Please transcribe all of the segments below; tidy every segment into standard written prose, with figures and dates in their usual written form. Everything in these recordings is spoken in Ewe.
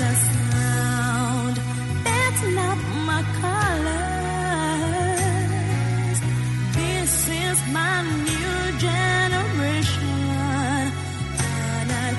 the sound. That's not my colors. This is my new generation. Canal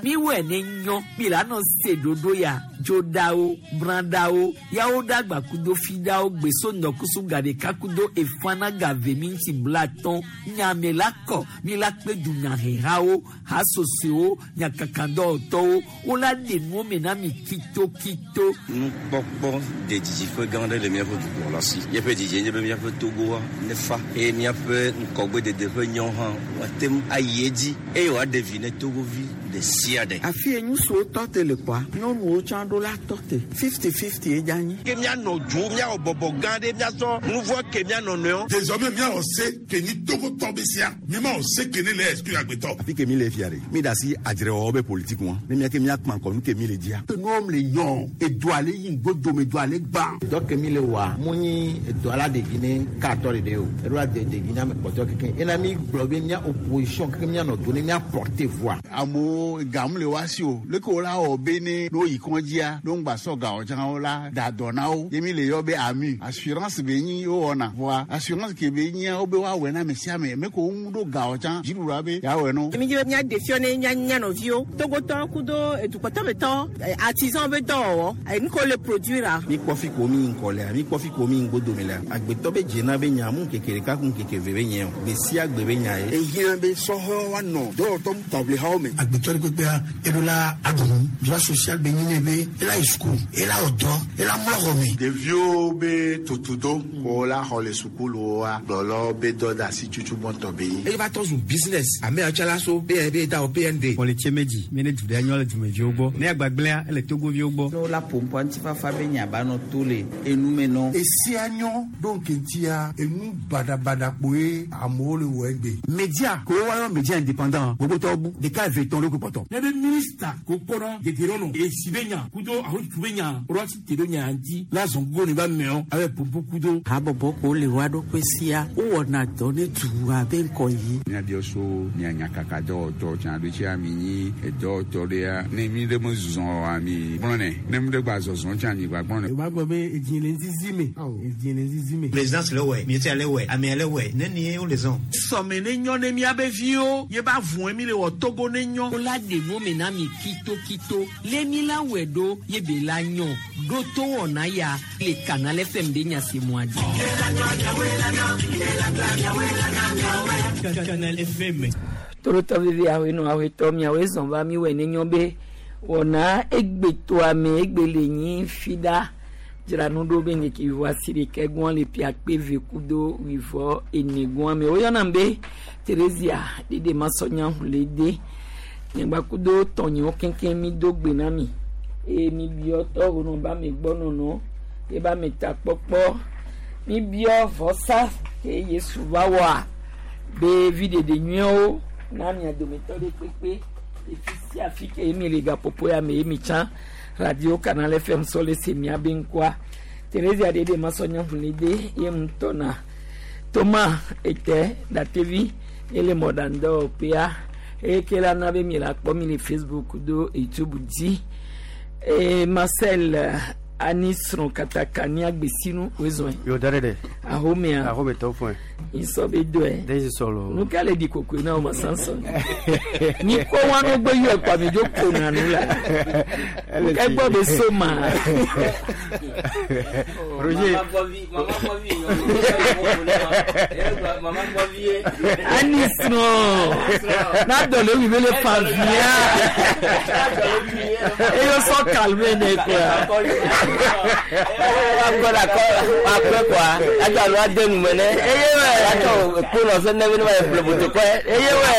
Mi wɛ ne nyɔ mi la nɔ se ɖoɖo ya dzoɖawo brãɖawo yawo ɖagba kudo fiɖawo gbeso ŋdɔkusu gaɖeka kudo efana gave mi ŋuti blatɔn nyame la kɔ mi la kpe dunyahehawo hasosoewo nyakakadɔwɔtɔwo wola ɖe nuwo me na mi kitokito. Nukpɔkpɔ de didiƒe gã aɖe le míaƒe dukplɔla si. Míaƒe didie nye be míaƒe Togoa nefa eye míaƒe ŋgɔgbedede ƒe nyawo hã woate ŋu ayi edzi eye wòaɖe vi ne Togovi ɖe sia ɖe. Afi ye ŋutsuwo tɔ te le kpɔa, nyɔnuwo tsã ɖo la tɔ te. 50-50 ye dze anyi. Ke míanɔ dzo, míawɔ bɔbɔ gã ɖe, míasɔ nu vɔ ke míanɔ nɔewo. Désormais míawɔ se ke nyi Togotɔ be sia. Mímawɔ se ke ne le exclure agbetɔ. Afi ke mi le fia ɖe, mi da asi adzrewɔwɔ be politiki ŋua. Ne mía ke míakpã ŋkɔ nu ke mi le dzia. Nuwo le yɔ, edoa le yi ŋgodo me, edoa le gbã. Dɔ ke mi le wɔa, mu nyi edoa la ɖevi ne katɔ ɖeɖe o. Eɖo la de ɖevi na ame kpɔtɔ keke. Ena mi gblɔ be mía opposition keke míanɔ do ne mía porter voix. Amewo gamu le wa si o. Leke wo la wɔ be ne no yi kɔndzia, no ŋgba sɔ gawo tsã wo la da dɔ na wo. Ye mi le yɔ be ami. Assurance be nyi wo wɔna. Voa assurance ke be nyia wo be woawɔe na ame sia ame. Me ko wo ŋu ɖo gawo tsã, dziɖuɖua be yeawɔe no. Mi dzi be míaɖe fiɔ ne mía mía nɔviwo. Togotɔ kudo edukpɔtɔmetɔ, artisan be dɔwɔwɔ, nu ke wole produire. Mi kpɔ fi ko mi ŋkɔ lea, mi kpɔ fi ko mi ŋgodo lea. Agbetɔ be dzena be nya mu ŋkeke ɖeka ku ŋkeke eve be nye o. Gbe sia gbe be nya ye. Ehiã be sɔhɛwo woanɔ dɔwɔtɔ taʋlihawo me. Agbetɔ ɖe kpekpea, eɖo la aɖu nu. Droit social be nyi ne be ela yi suku, ela wɔ dɔ, ela mlɔ xɔ me. Ɖeviwo be tutudo ko la xɔ le sukuluwoa, gblɔlɔ be dɔ de asi tutu gbɔntɔ be nyi. Eye va tɔ zu business. Ame yawo tsã la so BNB da o BND. Xɔlitse medzi, mi ne du ɖe nyɔ le dumeviwo gbɔ. Ne agbagblẽa, ele Togoviwo gbɔ. Ne wola ƒo ŋutifafa be nya ba nɔ to le enume nɔ. Esia nyɔ ɖo ŋkeŋtia, enu baɖabaɖa kpoe amewo le wɔ egbe. Media ko woayɔ media indépendant gbogbotɔwo bu ɖeka eve tɔn ɖo ko kpɔtɔ. Ne be minista ko kpɔna gege esi be nya kudo ahotu be nya woɖo asi te ɖo nya ŋuti la zɔn gogo ne ba mɛɔ abe popo kudo. Habɔbɔ ko le wa ɖokui sia, wowɔna dɔ ne dua be ŋkɔ yi. Míabiɔ so mía nyakaka dɔwɔtɔ tsã ɖo tsia mi nyi edɔwɔtɔ ɖea ne mi ɖe me zɔ oa mi gblɔnɛ ne mi ɖe gba zɔzɔ tsã mi gba gblɔnɛ. O b'a gbɔ be edzi le ŋzizi me, edzi le ŋzizi me. Présidence le wɛ, ministère le wɛ, amea le wɛ, ne nie wo le zɔn. Sɔme ne nyɔ ne míabe viwo ye ba vɔe mi le wɔ Togo ne nyɔ. Wola ɖe nuwo me na mi kitokito le mi la wɔe ɖo ye be la nyɔ ɖo to wɔna ya le Canal FM ɖe nya si mua dzi. Canal FM. Torotɔ vivi awoe nɔ awoe tɔ miawoe zɔn va mi wɔe ne nyɔ be wɔna egbetoa me egbe le nyi fi ɖa dzra nu ɖo be ŋkeke wivɔ asi ɖeka gbɔn le pia kpe ve kudo wivɔ ene gbɔn me woyɔna be Theresia ɖeɖe masɔnya hu le de nyagba kudo tɔnyewo keŋkeŋ mi do gbe na mi eye mi biɔ tɔwo nɔ ba mi gbɔ nɔnɔ ye ba mi ta kpɔkpɔ mi biɔ vɔsa ke Yesu va wɔa be vi ɖeɖe nyuiwo na mia dometɔ ɖe kpekpe efi sia fi ke mi le gaƒoƒo ya me ye mi tsã radio Canal FM sɔ le se mia be ŋkɔa Theresia ɖeɖe masɔnya hu le de ye ŋutɔ na Toma ete datevi ele mɔɖaŋdɔwɔƒea eye ke la na be mi la kpɔ mi le Facebook do YouTube dzi eye Marcel ani srɔ̃ katakani agbesinu wozɔe. Yo da ɖe. Ahomea. Ahome tɔ fún. Isɔ be dɔe. Den sɔlɔ. Nu ka le di kokoe na o ma sansan. Ni ko wa no gbe yɔ kpa mi dzo ko na nu la. Ke gbɔ be so ma. Roger. Ani srɔ̃. Na dɔ le wi be le fa via. Eyo sɔ calme ne quoi. Akɔ la kɔ akpɛ kɔa adzɔ alo ade nu me ne. Eye wɛ. Atsɔ kponɔ fɛn ne bi ne ma ye ƒle botokɔe. Eye wɛ.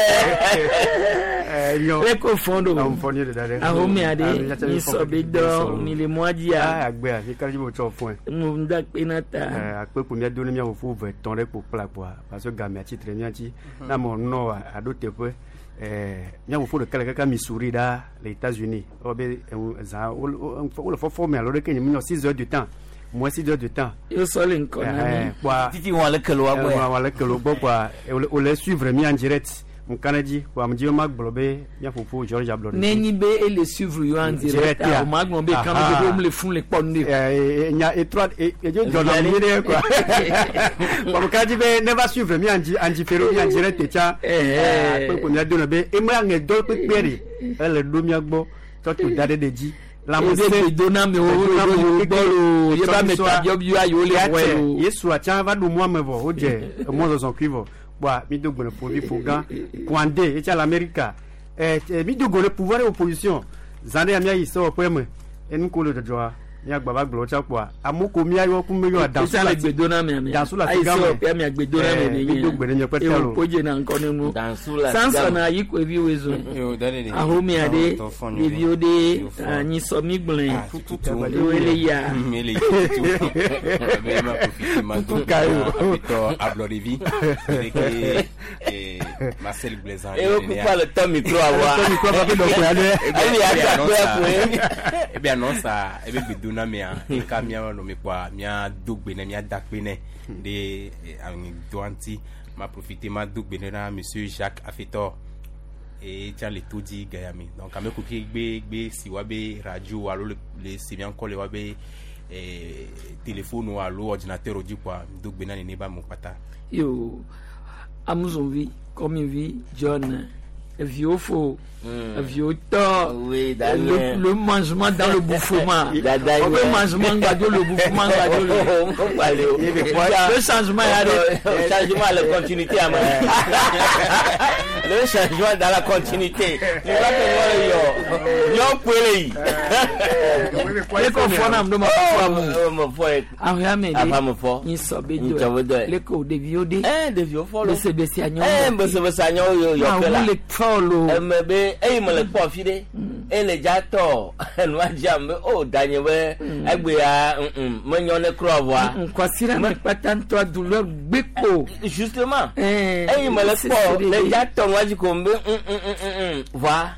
Nyɔ. Le ko fɔn do. Awo fɔn ye de da dɛ. Ahomea de mi sɔ be dɔ mi le mɔa dzia. Aa agbea mi kali bo tsɔ fɔn. Mo da kpe na ta. Akpe ko mía do ne mía fofo ve tɔn ɖe kpo kpla kpoa parce que gamea tsitre mía dzi. Na mɔ nɔ aɖo teƒe. Mía fofo ɖeka le kaka Missouri ɖa le États-Unis. Ewɔ be eŋu zã wole fɔfɔ me alo ɖeke nye mi nɔ 6 heures du temps. Moins 6 heures du temps. Yo sɔ le ŋkɔ na mi. Kpoa Titi wɔn le kelo wa gbɔ ya. Wɔn le kelo gbɔ kpoa wòle suivre mi en direct. Ŋka ɖe dzi kpoa ame dzi ma gblɔ be mía fofo George Ablɔɖevi. Ne nyi be ele suivre yo en direct, Direct ya. o ma gblɔ be kan be ɖo le fun le kpɔ nu de. Nya etrɔ edzo dzɔna mi ɖe quoi. Kpoa ŋka dzi be ne va suivre mi en di en différé mi en direct tsa. Kpekpe mía do na be eme aŋe dɔ kpekpe ɖe ele ɖo mía gbɔ tsɔ to da ɖe ɖe dzi. Ebe gbedonamewo le gbɔ lo, ye ba me tabiɔbiɔ ayiwo le wɔe lo. Yesu atsa va ɖo mɔa me vɔ wodze emɔzɔzɔ kui vɔ kpoa mi do gbe le fovi fo gã Kouandé etsa le Amerika mi do go le pouvoir et opposition zã ɖe ya mía yi sewɔƒe me enu ko le dzɔdzɔa mía gba va gblɔ tsa kpoa amewo ko mía yɔ ku me yɔ Etsa le gbedoname ame. Dansu le Ayi afi gã me. sewɔƒea mia gbedoname de Mi do gbe ɖe miaƒe ta Ewo lo. kodze na ŋkɔ ne mu. Dansu le afi gã Samson me. ayi ko evi woe zɔ. Yo, da de de. Ahomea ɖe Tɔ fɔ nyuie. ɖeviwo ɖe Yo, fɔ. anyisɔ mi gblẽ. Ah, tutu. Ewo le ya. Mele yi tutu. Be ma profite ma do Tutu ka yo. Apetɔ Ablɔɖevi. Ɖeke Marcel Blaise. Ewo kupa le tɔ micro awa. Tɔ micro awa ke dɔ koe aɖe. Ebi ati akpe koe. Ebe annonce a ebe gbedonamea eka mía nɔ mi kpoa mía do gbe nɛ mía da kpe nɛ ɖe aŋedɔa ŋuti ma profite ma do gbe nɛ na monsieur Jacques Afetor et tsa le to dzi gayame donc ame kuki gbe gbe si wa be radio alo le si mía ŋkɔ le wa be téléphone alo ordinateur dzi kpoa do gbe na nene ba amewo kpata. Yo, Amuzonvi, Kɔmivi, John, eviwo fo, eviwo tɔ, Oui, Daniel. le mangement dans le bouffement. Dada On peut mangement gbadzo le bouffement gbadzo le. Le changement ya de. Le changement la continuité ama. Le changement dans la continuité. Tu vois que moi le yo. Yo pwele yi. Leko fɔ na do ma fɔ amu. Mo fɔ ye. Ahɔa me de. Afa mo fɔ. Nyisɔ be do. Nyisɔ be do. Leko ɖeviwo de. Ɖeviwo fɔ lo. Besebese anyɔ. Besebese anyɔ yo yɔ ke la. Awu le fɔ lo. Eme be eyi me le kpɔ fi ɖe. Ele dza tɔ enua dzam be o danye be egbea menyɔ ne kura vɔa. Nkwasira me kpata ŋutɔ douleur gbe ko. Justement. Eyi me le kpɔ le dza tɔ nua dzi ko be vɔa.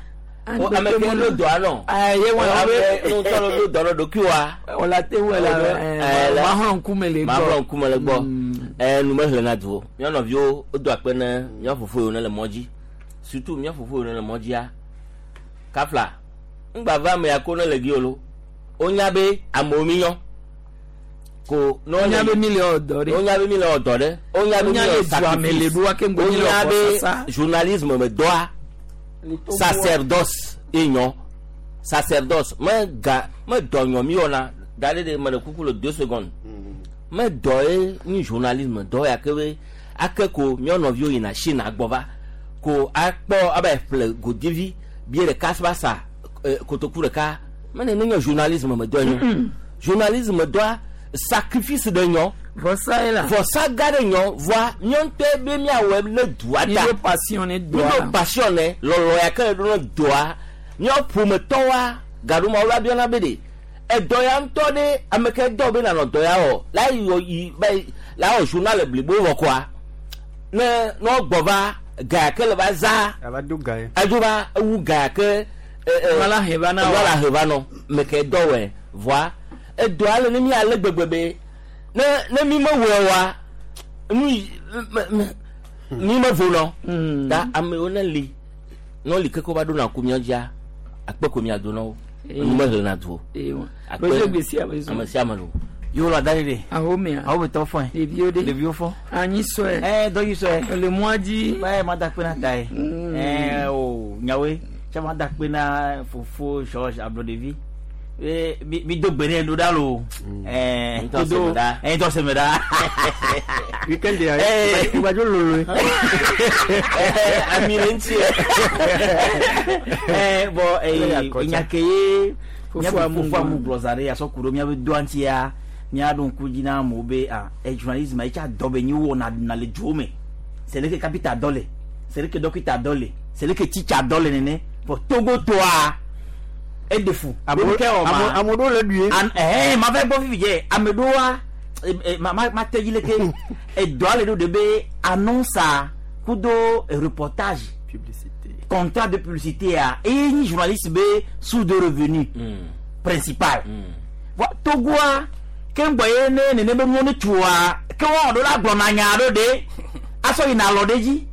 Ame ke ɖo dɔa nɔ. Ayi wɔn Ame ŋutɔ ɖo dɔ nɔ ɖokui wa. Wòle te wɔ la mahlɔ ŋkume le gbɔ. Mahlɔ ŋkume le gbɔ. Nu mehlẽ na du o. Mía nɔviwo wodo akpe ne mía fofo yiwo ne le mɔ dzi. Surtout mía fofo yiwo ne le mɔ dzia. Kafla ŋgba va ame ya ko ne le gi o lo. Wonya be amewo mi nyɔ. Ko ne Wonya be mi le wɔ dɔ ɖe. Wonya be mi le wɔ dɔ ɖe. Wonya be mi Wonya le le wɔ du ame le sacrifice. ɖo wa ke ŋgɔ mi le Wonya wɔ be sasa. journalisme me dɔa. Sacerdoce ye nyɔ. Sacerdoce me ga me dɔ nyɔ mi wɔna da ɖe de me le kuku le 2 secondes. Me dɔ ye nyi journalisme dɔ ya ke be ake ko mía nɔviwo yina Chine agbɔ va ko akpɔ abe ƒle godivi bie ɖeka va sa kotoku ɖeka mene ne nye journalisme me dɔ nyɔ. Journalisme dɔa sacrifice ɖe nyɔ. Vɔsa ye la. Vɔsa gã ɖe nyɔ vɔa míawo ŋutɔe be míawɔe ne dua Mi ta. ɖo passion ne Mi dɔa. ɖo passion ne lɔlɔ ya ke le ɖo ne dɔa míawo ƒometɔwoa gaɖoma wo la biana be ɖe edɔ ya ŋutɔ ɖe ame ke dɔ be nanɔ dɔ ya wɔ la yi yi ba yi la wɔ journal blibo wɔ koa ne ne wogbɔ va ga ya ke le va za Ava do ga ye. edzo va ewu ga ya ke Wala he va na wa. wala he va nɔ me ke dɔ wɔe vɔa edɔa le ne mi ale gbegbe be ne ne mi me wɔe wa nu yi me me mi me vo nɔ ta amewo ne li ne woli keke va ɖo na ku mía dzia akpe ko mía do na wo nu me hlẽna du o Akpe Bese gbesi ame zo. ame sia ame lo. Yo la da de. Ahomea. Awo be tɔ fɔn. Ɖeviwo ɖe. Ɖeviwo fɔ. Anyi sɔe. Dɔ yi sɔe. Le mɔa dzi. Ma da kpe na ta ye. O nyawoe. Tsa ma da kpe na fofo George Ablɔɖevi. Mi mi do gbe ne ɖo ɖa lo. Ŋutɔ se me ɖa. Ŋutɔ se me ɖa. Weekend ya. Igbadzo lolo. Ami le ŋuti. Bɔn nya ke ye Fofo amu fofo amu gblɔ za ɖe asɔ ku ɖo míabe doa ŋutia míaɖo ŋku dzi na amewo be ah journalisme etsa dɔ be nyi wɔna na le duwo me. C'est le ke kapita dɔ le, c'est le ke dɔkita dɔ le, c'est le ke titsa dɔ le nene. Bɔn Togo toa eɖe fu. Ame ɖewo le ɖui. Ma va gbɔ fifi dze ame ɖewoa ma ma ma te dzi leke edɔa le ɖo de be annonce kudo reportage. Publicité. Contrat de publicité a eye nyi journaliste be source de revenu principal. Vɔ Togoa ke ŋgbɔ ye ne nene be nuwo ne tsoa ke wɔn ɖo la gblɔna nya ɖo ɖe asɔ yina alɔ ɖe dzi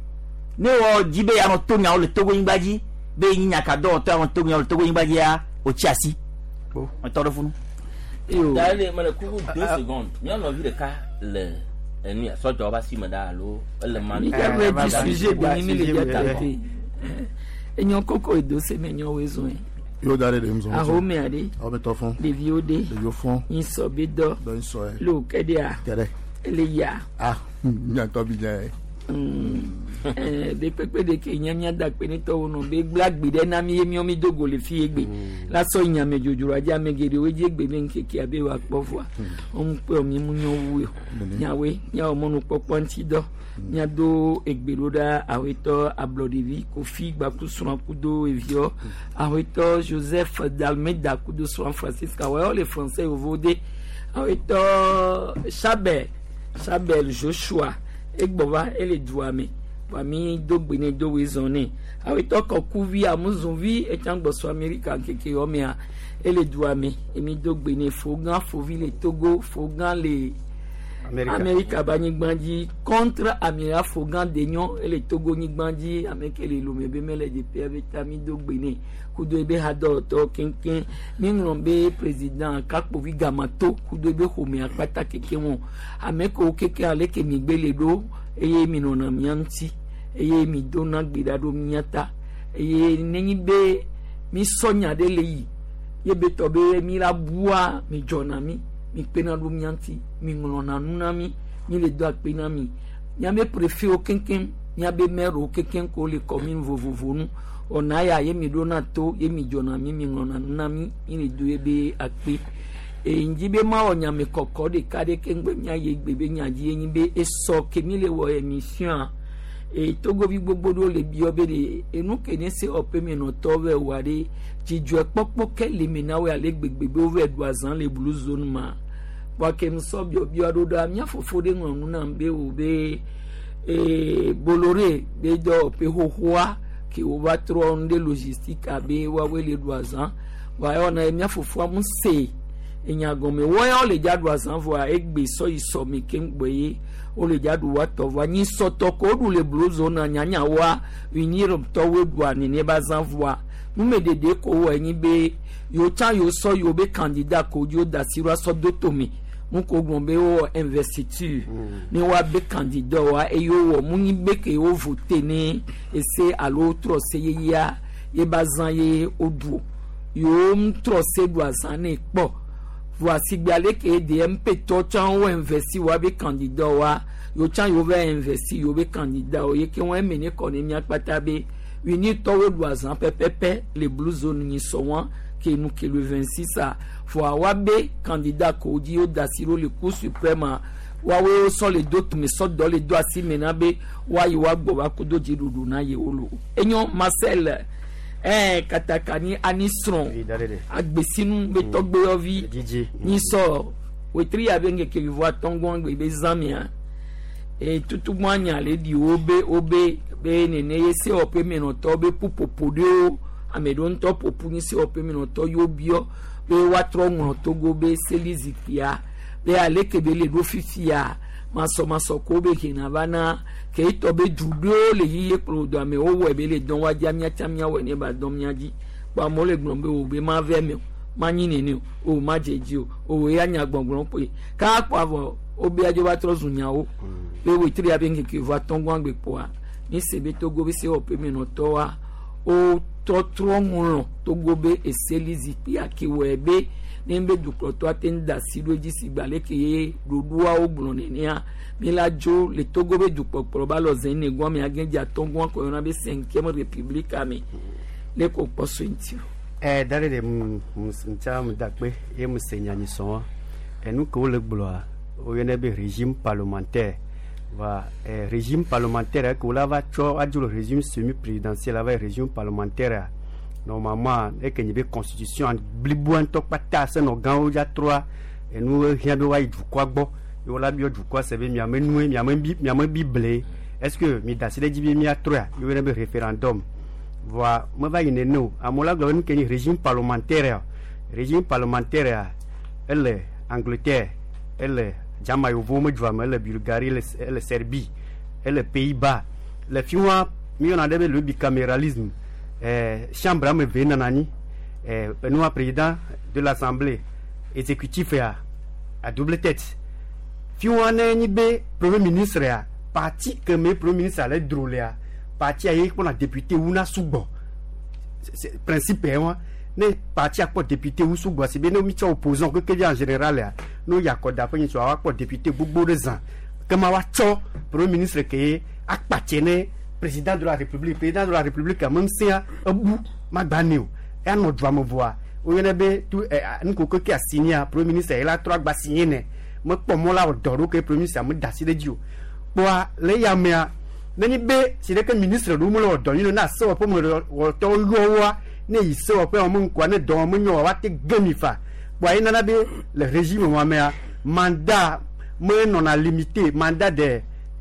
ne wɔ dzi be yanɔ to nyawo le Togo nyigba dzi be nyi nyakadɔwɔtɔ yanɔ to nyawo le Togo nyigba dzia wòtsi asi etɔ ɖe funu. Dale mele kuku 2 secondes. Mía nɔvi ɖeka le enu ya sɔdza wobe asi me ɖa alo ele ma. Mi dza gblɔ dzi sujet be mi le dza traité. Enyɔ koko edo se me nyɔ woe zɔn. Yo da ɖe ɖe ŋzɔn. Ahomea ɖe. Awo tɔ fɔn. Ɖeviwo ɖe. Ɖeviwo fɔn. Nyisɔ be dɔ. Dɔ nyisɔ yɛ. Le wo kɛ ɖea. Kɛ ɖe. Ele ya. Ah nyatɔ bi dza yɛ. Ɖe kpekpe ɖe ke nye míada kpe ne tɔwo nɔ be gblẽ agbe ɖe na mi ye míɔ mi do go le fi egbe la sɔ yi nyame dzodzroa dzi ame geɖewo dzi egbe be ŋkekea be woakpɔ vɔa woŋu kpe mi mu nyɔ wu yɔ nyawoe míawɔ mɔnukpɔkpɔ ŋuti dɔ míado egbe ɖo ɖa awetɔ ablɔɖevi Kofi gbaku srɔ̃ kudo eviɔ awetɔ Joseph Dalmeda kudo srɔ̃ Francisca wɔyɔ le français vovo de awetɔ Chabel Chabel Joshua egbɔ va ele dua me vɔa mi do gbe ne do woe zɔn nɛ awetɔ kɔkuvi amuzunvi etsã gbɔsɔ Amerika ŋkeke yɔ mea ele dua me emi do gbe ne fogã fovi le Togo fogã le Amerika be anyigba dzi contre amiral fogã denyɔ ele Togo nyigba dzi ame ke le Lome be mele dzeƒea be ta mi do gbe nɛ kudo ebe hadɔwɔtɔwo keŋkeŋ mi ŋlɔ be président kakpovi gamato kudo ebe ƒomea kpata keke ŋu ame kewo keke aleke mi gbe le ɖo eye mi nɔna mía ŋuti eye mi dona gbe ɖa ɖo mía ta eye nenyi be mi sɔ nya ɖe le yi ye be tɔ be mi la bua mi dzɔna mi mi kpena ɖo mía ŋuti mi ŋlɔna nu na mi mi le do akpe na mi míabe préfetwo keŋkeŋ míabe maire keŋkeŋ ko le commune vovovo nu ɔna ya ye mi ɖona to ye mi dzɔna mi mi ŋlɔna nu na mi mi le do ye be akpe eye ŋdzi be mawɔ nyame kɔkɔ ɖeka ɖe keŋ be míayi egbe be nya dzi ye nyi be esɔ ke mi le wɔ émission eye togovi gbogbo ɖewo le biɔ be ɖe enu ke ne se wɔƒe me nɔtɔwo vɛ wɔa ɖe dzidzɔe kpɔkpɔ ke le me na wo ale gbegbe be wovɛ ɖu azã le blue zone ma kpɔ ke ŋusɔ biɔbiɔ ɖo ɖa mía fofo ɖe ŋlɔ nu nam be wo be ee Bolloré be dɔwɔƒe xoxoa ke wova trɔ nu ɖe logistique abe woawoe le ɖu azã vɔa ewɔna ye mía fofoa mu se enya gɔme wɔya wole dza ɖu azã vɔa egbe sɔ yi sɔ mi keŋ gbɔ ye wole dza ɖu woatɔ vɔa nyi sɔtɔ ko woɖu le blue zone nyanya woa unirtɔwoe ɖua nene be azã vɔa numeɖeɖe ko wɔ enyi be yewo tsã yewo sɔ yewo be candidat ko dzi woda asi ɖo asɔ do tome nu ko gblɔ be wowɔ investiture ne woabe candidat wa eye wowɔ mu nyi be ke wo vote ne ese alo wotrɔ se yeyea ye be azã ye woɖu o yewo ŋtrɔ se ɖu azã ne kpɔ vɔa sigbe ale ke DMP tɔ tsã wo investi woabe candidat wa yewo tsã yewo va investi yewo be candidat wo ye ke wɔn eme ne kɔ ne mía kpata be unitɔwo ɖu azã pɛpɛpɛ le blue zone nyi sɔ wɔn ke nu ke le 26 a vɔa woabe candidat ko dzi woda asi ɖo le cour suprême woawoe sɔ le do tome sɔ dɔ le do asi me na be woayi woagbɔ va kodo dziɖuɖu na yewo lo enyo Marcel ɛɛ katakani ani srɔ̃ agbesinu be tɔgbeyɔvi nyisɔ wetri ya be ŋkeke vivo atɔngɔn gbe be zãmia e tutugbɔn anya le ɖi wo be wo be be nene ye sewɔƒe menɔtɔwo be ƒuƒoƒo ɖewo ame ɖewo ŋutɔ ƒoƒu nyi sewɔƒe menɔtɔ yewo biɔ be woatrɔ ŋlɔ Togo be seli zikpuia be aleke be le ɖo fifia masɔmasɔ ko be hena va na ke etɔ be du ɖewo le yiye kplɔ do amewo wɔe be le dɔn woadzi míatsa míawɔe ne ba dɔn mía dzi kpɔ amewo le gblɔm be o be ma vɛ me o manyi nene o o ma dze dzi o o ya nya gbɔgblɔ kpoe ka kpɔ avɔ wo be adzo va trɔ zu nyawo be wetri ya be ŋkeke va tɔngɔn gbe kpoa mi se be Togo be sewɔƒe menɔtɔwoa wotɔtrɔ ŋlɔ Togo be eseli zikpuia ke wɔe be ne be dukplɔtɔ ate ŋu da asi ɖo edzi si gbe aleke ye ɖoɖoawo gblɔ nenea mi la dzo le Togo be dukpɔkplɔ ba lɔ zɛn ne gɔme age dze atɔngɔn ko yɔna be cinquième république me le ko kpɔ so ŋuti o. Ɛ da ɖe ɖe mu mu ŋutsa mu da kpe ye mu se nya nyi sɔn enu ke wole gblɔa woyɔnɛ be régime parlementaire va ɛ régime parlementaire ke wola va tsɔ adzo le régime semi présidentiel ava yi régime parlementaire normalement eke nyi be constitution bliboa ŋutɔ kpata senɔ gãwo dza trɔa enu hiã be woayi dukɔa gbɔ ye wola biɔ dukɔa se be miame nue miame bi miame bible est ce que mi da asi ɖe edzi be miatrɔa ye woyɔnɛ be référendum. Voa meva yi nene o. Amewo la gblɔ be nu ke nyi régime parlementaire ya. Régime parlementaire ya ele Angleterre, ele Germany yevuwo me dua me, ele Bulgarie, ele ele Serbie, ele Pays-Bas. Le fi wa míeyɔna ɖe be le bicaméralisme. Chambre ame eve nɔna anyi. Enua président de l'assemblée exécutif ya à double tête. Fi wa ne nyi be premier ministre ya parti ke me premier ministre le dro lea parti ye kpɔna député wu na sugbɔ. Principe ye wa ne parti akpɔ député wu sugbɔ si be ne mi tsɔ opposant keke via en général ya ne woyi akɔda ƒe nyitsɔ woakpɔ député gbogbo ɖe zã kema woatsɔ premier ministre ke ye akpatse ne président de la république. Président de la république ame ŋusẽa ebu magba nɛ o eanɔ dua me vɔa woyɔnɛ be tu ɛ nuko keke asinia premier ministre ye la trɔ agba signé nɛ mekpɔ mɔ la wɔ dɔ ɖo ke premier ministre meda asi ɖe edzi o kpɔa le ya mea nenye be si ɖeke ministre ɖewo mele wɔ dɔ nyuie na sewɔƒe me wɔtɔwo yɔ woa ne yi sewɔƒe wɔme ŋkua ne dɔ wɔme nyɔ woate ge mi fa kpɔa ye nana be le régime wa mea mandat menɔna limité mandat de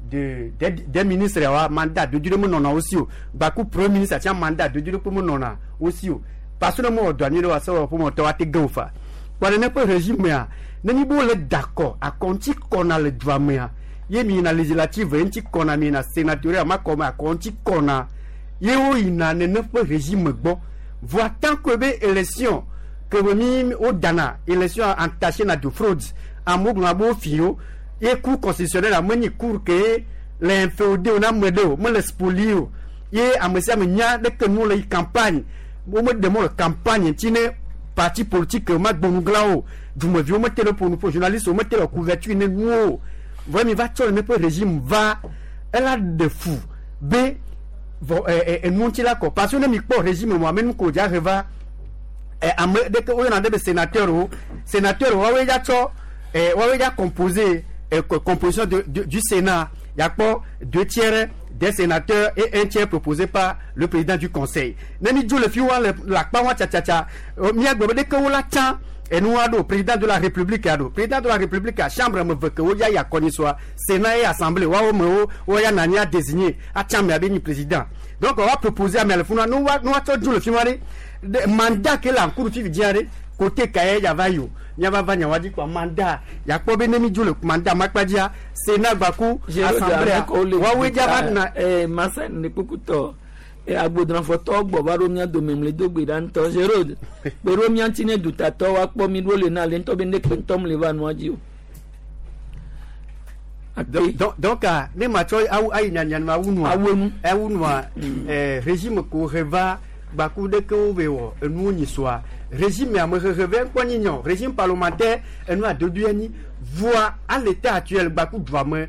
de de des ministres wa mandat dodo ɖe menɔna wo si o gbaku premier ministre tia mandat dodo ɖe kpe menɔna wo si o parce que ne mewɔ dɔ nyuie ɖe wa sewɔƒe me wɔtɔwo ate ge wo fa kpɔa nene ƒe régime mea nenye be wole da akɔ akɔ ŋuti kɔna le dua mea ye mi yina législative ŋuti kɔna mi yina sénatorial ma kɔme akɔ ŋuti kɔna ye wo yina nene ƒe régime gbɔ voa tant que be élection ke be mi wo dana élection entaché na de fraude amewo gblɔna be wo fi wo ye cour constitutionnelle ame nyi cour ke le inféodé o na ame ɖe o mele spolié o ye ame sia ame nya ɖeke nu le yi campagne wo meɖe mɔ le campagne ŋuti ne parti politique ma gbɔnuglawo o dumeviwo mete le ƒo nu ƒo journaliste wo mete le couverture ne nuwo o vɔ mi va tsɔ le neƒe régime va ela ɖe fu be vɔ ɛ ɛ enu ŋuti la kɔ parce que ne mi kpɔ régime mo ame nu ko dza he va ɛ ame ɖeke woyɔna ɖe be sénateur wo sénateur woawoe dza tsɔ ɛ woawoe dza composé ɛ composition de, de du Sénat yakpɔ 2/3 des sénateurs et 1/3 proposé par le président du conseil ne mi dzo le fi wa le le akpa wa tsatsatsatsa miagblɔ be ɖeke wo la tsã enua ɖo président de la république ya ɖo président de la république a chambre me ve ke wo ya yi akɔnyisɔa sénat ye assemblée woawo me wo wo ya nani a désigné atsã amea be nyi président donc wa proposer amea le funua ne wa ne woatsɔ dzo le fi ma ɖe ɖe mandat ke le ankuru fifi dzia ɖe côté ka ye ya va yi o miava va nyawa dzi kɔa mandat yakpɔ be ne mi dzo le mandat makpa dzia sénat gbaku assemblée woawoe dza va na. Masa ne kpokutɔ agbodrɔfɔtɔ gbɔ va ɖo mía dome mle do gbe ɖa ŋutɔ Gérald kpe ɖo mía ŋuti ne dutatɔ woakpɔ mi ɖo le na le ŋutɔ be ne kpe ŋutɔ mle va nua dzi o. Donc ne ma tsɔ awu ayi nyanya ma awu nua awu enu awu nua régime ko he va gbaku ɖeke wo be wɔ enuwo nyi soa régime ame hehe vɛ ŋkpɔ nyi nyɔ régime parlementaire enu adodoe nyi voa à l'état actuel gbaku dua me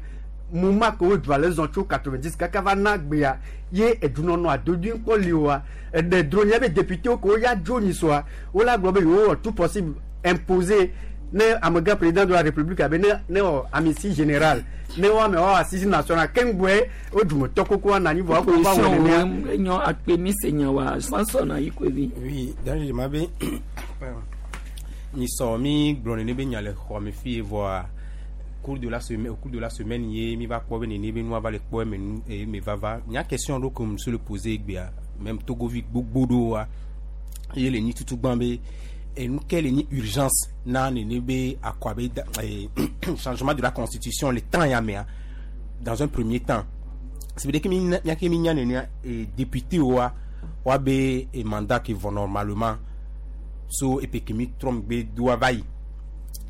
muma ke wo dua le zɔn tso 90 kaka va na gbea ye edunɔnɔ adodoe ŋkpɔ li oa eɖe dro nye be député wo ke wo ya dzo nyi soa wo la gblɔ be yewo wɔ tout possible imposer ne amegã président de la république abe ne ne wɔ amnistie générale ne wo ame wɔ assise nationale keŋgbɔe wo dumetɔ koko anɔ anyi vɔ wo va wɔ nenea. Enyo akpe mi se nya wa Samson ayi koe Oui, d'ailleurs ma be mi sɔ mi gblɔ nene be nya le xɔ me fi vɔa cours de la semaine au cours de la semaine ye mi va kpɔ be nene be nua va le kpɔ eme nu eye me va va nya question ɖo ke me le poser egbea même togovi gbogbo ɖewoa ye le nyi tutu gbã be enu ke le nyi urgence na nene be akɔ abe changement de la constitution le temps ya mea dans un premier temps c'est veut dire que mi miake mi nya nenea député woa woa be mandat ke vɔ normalement so epe ke mi trɔ megbe doa va yi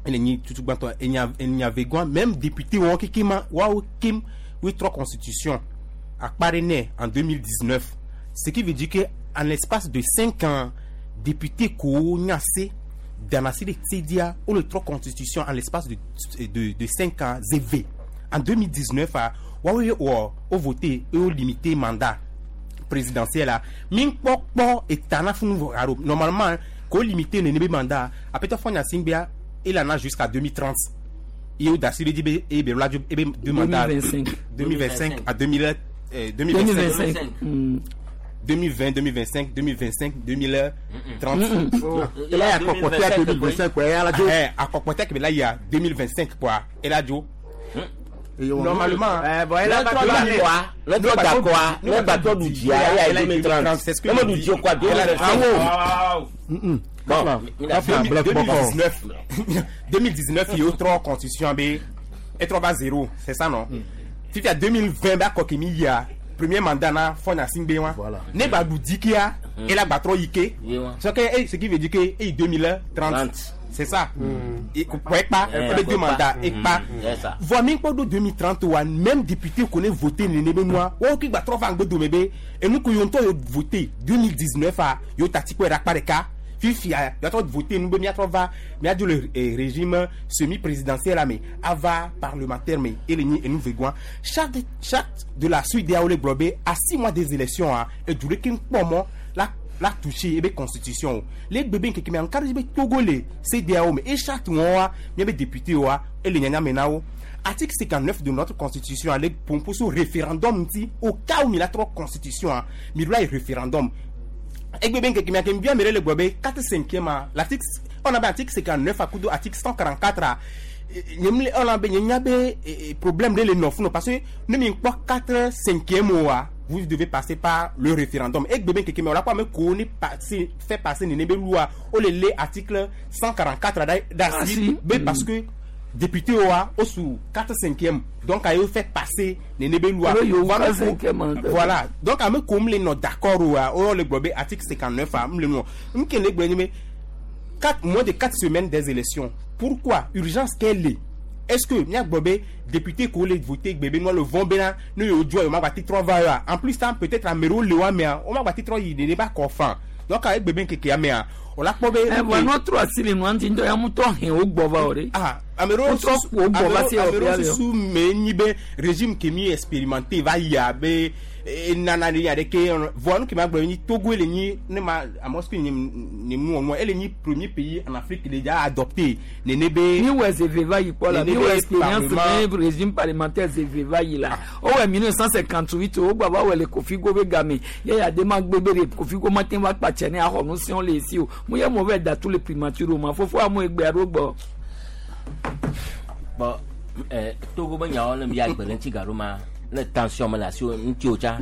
ele nyi tutu gbãtɔ enya enya vegɔa même député wɔn keke ma woawo kem woe trɔ constitution akpa ɖe nɛ en 2019 ce qui veut dire que en l'espace de 5 ans député kowo nya se danasi ɖe tsedia wole trɔ constitution en l'espace de 5 ans zeve en 2019 a woawoe wɔ wo voté eye wo limité mandat présidentiel a mi kpɔkpɔ eta na funu vɔ alo normalement ko limité nene be mandat apɛtɔ fɔ nyasingbea il en a jusqu'à 2030 ye wo dasi ɖe dzi be eye be la dzo ebe deux mandats 2025. 2025 à 2000 2025 2020 2025 2025 2030. Ela ya akɔkɔtɛ 2025 quoi, ala dzo. Akɔkɔtɛ kebe la ya 2025 quoi, ela dzo. Normalement. Ne trɔ dakɔa, ne trɔ dakɔa, ne gbatrɔ ɖu dzia, eya yi 2030. Ne meɖu dzi o kɔa, 2025. Bon, 2019, 2019, il y a trois constitutions B et 3 va 0, c'est ça non? Fifia 2020 ba kokimi ya premier mandat na fona singbe wa. Ne ba du kia et la ba trop ike. Ce que ce qui veut dire que eh 2030. C'est ça. Et pas deux mandats et pas. Voit même pas de 2030 wa même député connaît voter nene moi. O ki ba trop va ngbo do bébé et nous ko yonto voter 2019 a yo tati ko ra pa de cas. Fifia, il y a trop de voter, nous avons va, mais le régime semi-présidentiel, mais ava parlementaire, mais et nous verrons. Chaque de la suite des Aoulé Globé, à 6 mois des élections, et du comment la touché, et bien constitution. Les bébés qui sont en cas de Togolais, CDAO, mais et chaque mois, il y a des députés, et les Nyanya Article 59 de notre constitution, avec pour ce référendum, au cas où il y a trois constitutions, il y a un référendum. Et bien bien le 4 5e l'article on a article 59 à coup de article 144 on a problème de les neuf parce que nous mis pas 4 5e vous devez passer par le référendum et bien que on a pas même connu passer fait passer une loi au les article 144 d'article parce que député au sous 4 5e donc a fait passer les loi voilà donc à me comme les non d'accord ou le globé article 59 a le non moins de 4 semaines des élections, pourquoi urgence qu'elle est? Est-ce que nya globé député ko le voter bébé moi le von bena nous yo joie ma bati 3 va en plus ça peut-être à mero le wa mais on ma bati 3 il n'est pas confant donc avec bébé keke ya mais on l'a pas bé notre asile nous anti ndo ya muto hin o gbova ore ah amero sous mais ni be régime qui mi expérimenté va ya be nana ni ya de ke voa nous qui m'a ni Togo le ni ne ma à Moscou ni ni nous elle ni premier pays en Afrique déjà adopté ne be ni ouais zeveva yi quoi la ni ouais expérience régime parlementaire zeveva yi la o ouais 1958 o gba ba ouais le Kofi Gobe game ya ya de ma gbebe le Kofi Go matin va pa chene a ho nu sion le si o mu ye mauvais da tous les primatures ma fofo amu egbe arogbo. Bon, Togo be nyawo ne mia gbe ɖe ŋuti gaɖo ma ne tension me le asi ŋuti o tsa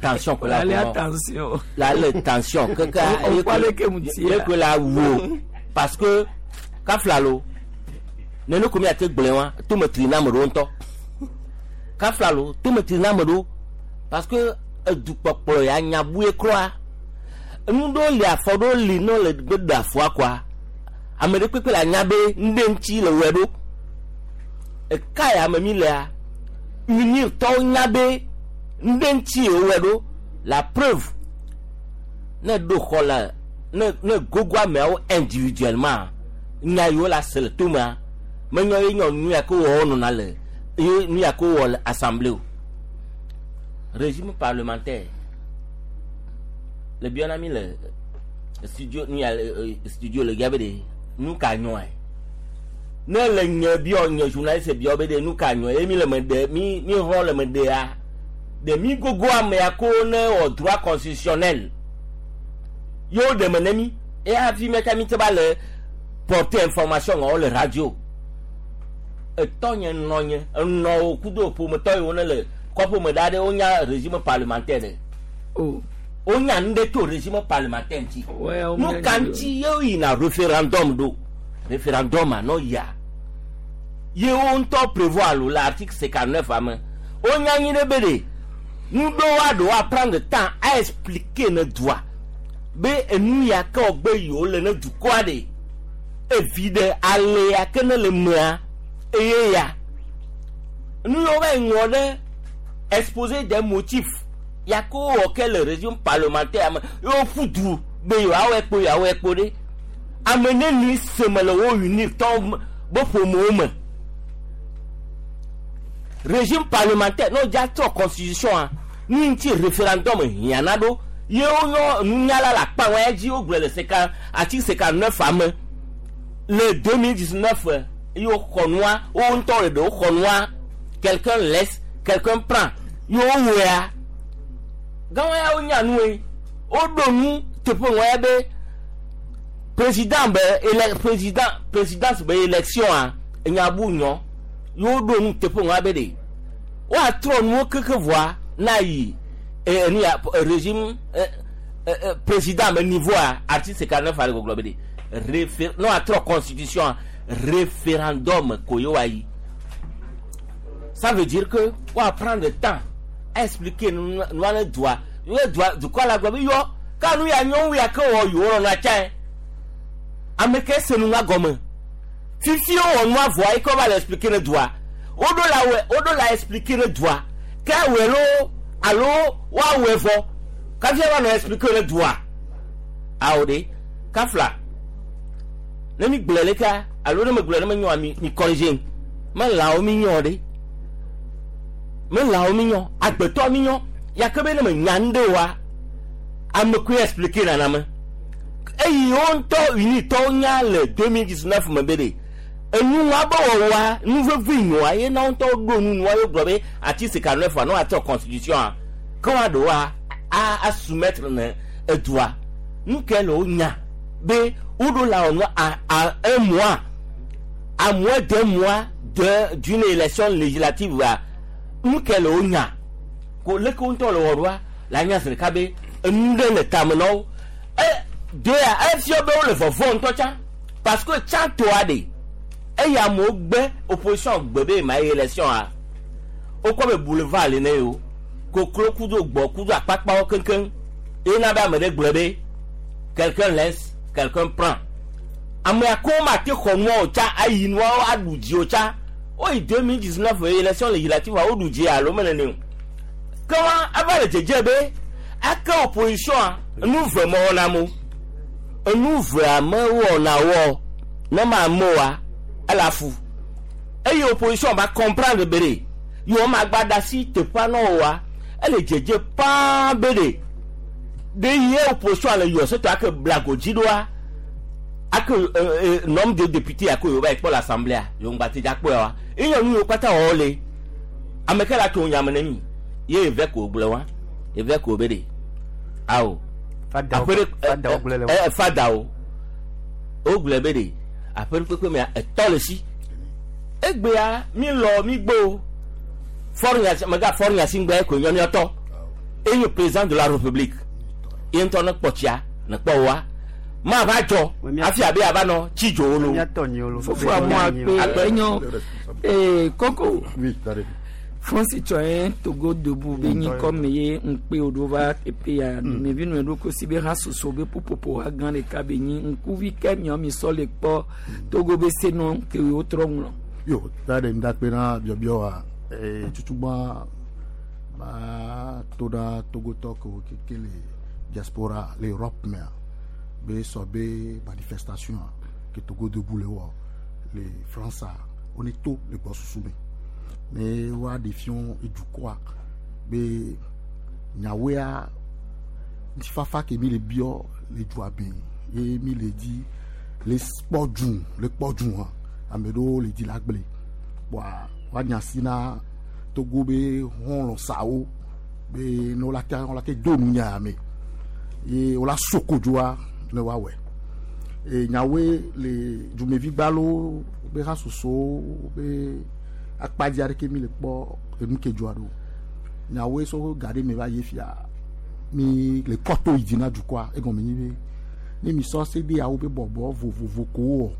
tension ko la la tension la le tension keke ye ko la wu parce que kafla lo nene ko mi ate gblẽ wa tome tri na ame ɖewo ŋutɔ kafla lo tome tri na ame ɖewo parce que edukpɔkplɔ ya nyabue kura nu ɖewo li afɔ ɖewo li ne le gbe ɖe afɔa koa ame ɖe kpekpe le anya be ŋɖe ŋuti le wɔe ɖo. Eka ya me mi lea unir tɔwo nya be ŋɖe ŋuti wowɔe ɖo la preuve ne ɖo xɔ le ne gogo ameawo individuellement nya yiwo la se le tomea menye ye nyɔ nu ya ke wɔ nɔna le ye nu ya ke wɔ le assemblée o. Régime parlementaire le biɔna mi le studio nu ya studio le gabe de nu ka nyɔe. Ne le nye biɔ nye journaliste biɔ be de nu ka nyɔ ye mi le me de mi hɔ le me de ya de mi gogo amea ko ne wɔ droit constitutionnel yewo ɖe me ne mi eye hafi meka mi te ba le porter information ŋɔ le radio etɔ nye nɔ nye enɔwo kudo ƒometɔ yiwo ne le kɔƒome ɖa ɖe wonya régime parlementaire ɖe wonya nu ɖe to régime parlementaire ŋuti nu ka ŋuti yewo yina référendum ɖo. Référendum à non ya. Ye on t'a prévoir l'article 59 ame. On y a ni de Nous devons prendre le temps à expliquer nos droits. Be nous y a qu'au yo le ne du quoi de. Évide aller à que ne le mea et ya. Nous aurons exposé des motifs. Y a qu'au auquel le régime parlementaire yo foutu be yo awe po ya awe po de. Amener ni semele wo unir ton bo ƒomewo me régime parlementaire n'o dza trɔ constitution a nu ŋuti référendum hiãna ɖo ye wonyɔ nunyala le akpa wɔn dzi wogblɔ le seka article 59 ame le 2019 ye woxɔ nua wo ŋutɔ le ɖewo xɔ nua quelqu'un laisse quelqu'un prend ye wowɔea gãwo ya wonya nue woɖo nu teƒe wɔn ya be président be présidence be élection a nyabu nyɔ yewo ɖo nu teƒe ŋua be de Woatrɔ nuwo keke vɔa na yi enu ya régime président me niveau a article 49 ale gbɔgblɔ be de réfé ne woatrɔ constitution référendum ko ye woayi. Ça veut dire que woa prendre le temps a expliquer nua ne dua ye dua dukɔ la gblɔ be yɔ ka nu ya nyɔ wu ya ke wɔ yewo lɔna tsae. Ame ke se nu ŋa gɔme. Fifi wowɔ nua vɔa yi ke wova le expliquer ne dua. Woɖo la wɔ woɖo la expliquer ne dua. Ke awɔe loo alo woawɔe vɔ kafi ava nɔ expliquer ne dua. Awo ɖe kafla. Ne mi gblɔe lekea alo ne megblɔe ne menyoa mi mi corriger me lãwo mi nyɔ ɖe. Me lãwo mi nyɔ agbetɔ mi nyɔ ya ke be ne menya nu ɖe oa ame koe expliquer nana me. Eyi wo ŋutɔ unitɔwo nya le 2019 me be ɖe enua be wɔwɔa nu vevi nyoa ye na wo ŋutɔ ɖo nu nua ye gblɔ be article 49 ne woatrɔ constitution a ke woaɖo a a soumettre ne edua. Nu ke le wo nya be woɖo la wɔ nu a a un mois à moins d'un mois de d'une élection législative a nu ke le wo nya ko leke wo ŋutɔ le wɔ ɖoa la nya zi ɖeka be enu ɖe le tame na wo. E dea efia be wole vɔvɔ ŋutɔ tsã parce que tsã toa ɖe eye amewo gbe opposition gbe be ma yi élection a wokɔ be boulevard le ne yewo koklo kudo gbɔ kudo akpakpawo keŋkeŋ ye na be ame ɖe gblɔ be quelqu'un laisse quelqu'un prend amea ko ma te xɔ nua o tsã ayi nuawo aɖu dzi o tsã woyi 2019 élection législative a woɖu dzi alo mele ne o ke wa eva le dzedze be ake opposition a nu ve mewɔna mo enu vea mewɔna wɔ ne ma amewoa ele afu eye opposition va comprendre be ɖe yewo ma gba da asi teƒea na woa ele dzedze paa be ɖe ɖe ye opposition le yɔ setɔ ake blago dzi ɖoa ake nombre de député ake yewo va yi kpɔ le assemblée yewo ŋgba te dza kpɔe wa eye nu yiwo kpata wɔwɔ le ame ke la tso nyame ne mi ye eve ko gblɔ wa eve ko be ɖe awo aƒe ɖe fadawo wogblɔe be ɖe aƒe ɖe kpekpe mea etɔ le si egbea mi lɔ mi gbo fɔri mega fɔri nyasi ŋgbɛ ko nyɔ miɔtɔ eye président de la république ye ŋutɔ ne kpɔ tsia ne kpɔ wa ma va dzɔ hafi abe ava nɔ tsi dzo wo lo. Fofo amu akpe enyo ee koko France Citoyen Togo Debout be nyi kɔme ye ŋkpe wo ɖo va teƒe ya dumevi nu ɖo kosi be ha soso be ƒuƒoƒo ha gã ɖeka be nyi ŋkuvi ke miɔ mi sɔ le kpɔ Togo be senɔ ke wotrɔ ŋlɔ. Yo ta ɖe ŋdakpe na biɔbiɔ wa tutugbã ma to ɖa Togotɔ kewo keke le diaspora le Europe mea be sɔ be manifestation ke Togo Debout le wɔ le France wo ne to le gbɔsusu me ne woaɖe fiɔ edukɔa be nyawoea ŋutifafa ke mi le biɔ le dua me ye mi le di le kpɔ dzu le kpɔ dzu hã ame ɖewo le di la gble kpɔa woanya si na Togo be xɔlɔ̃ sawo be ne wola te wola te do nu nya me ye wola so kodzoa ne woawɔe e nyawoe le dumevi gbalo be ha sosowo be akpadzi aɖeke mi le kpɔ enu ke dzɔa ɖo nyawoe so ga ɖe me va yi fia mi le kɔto yi dzi na dukɔa egɔme nyi be ne mi sɔ CEDEAO be bɔbɔ vovovo ko wɔ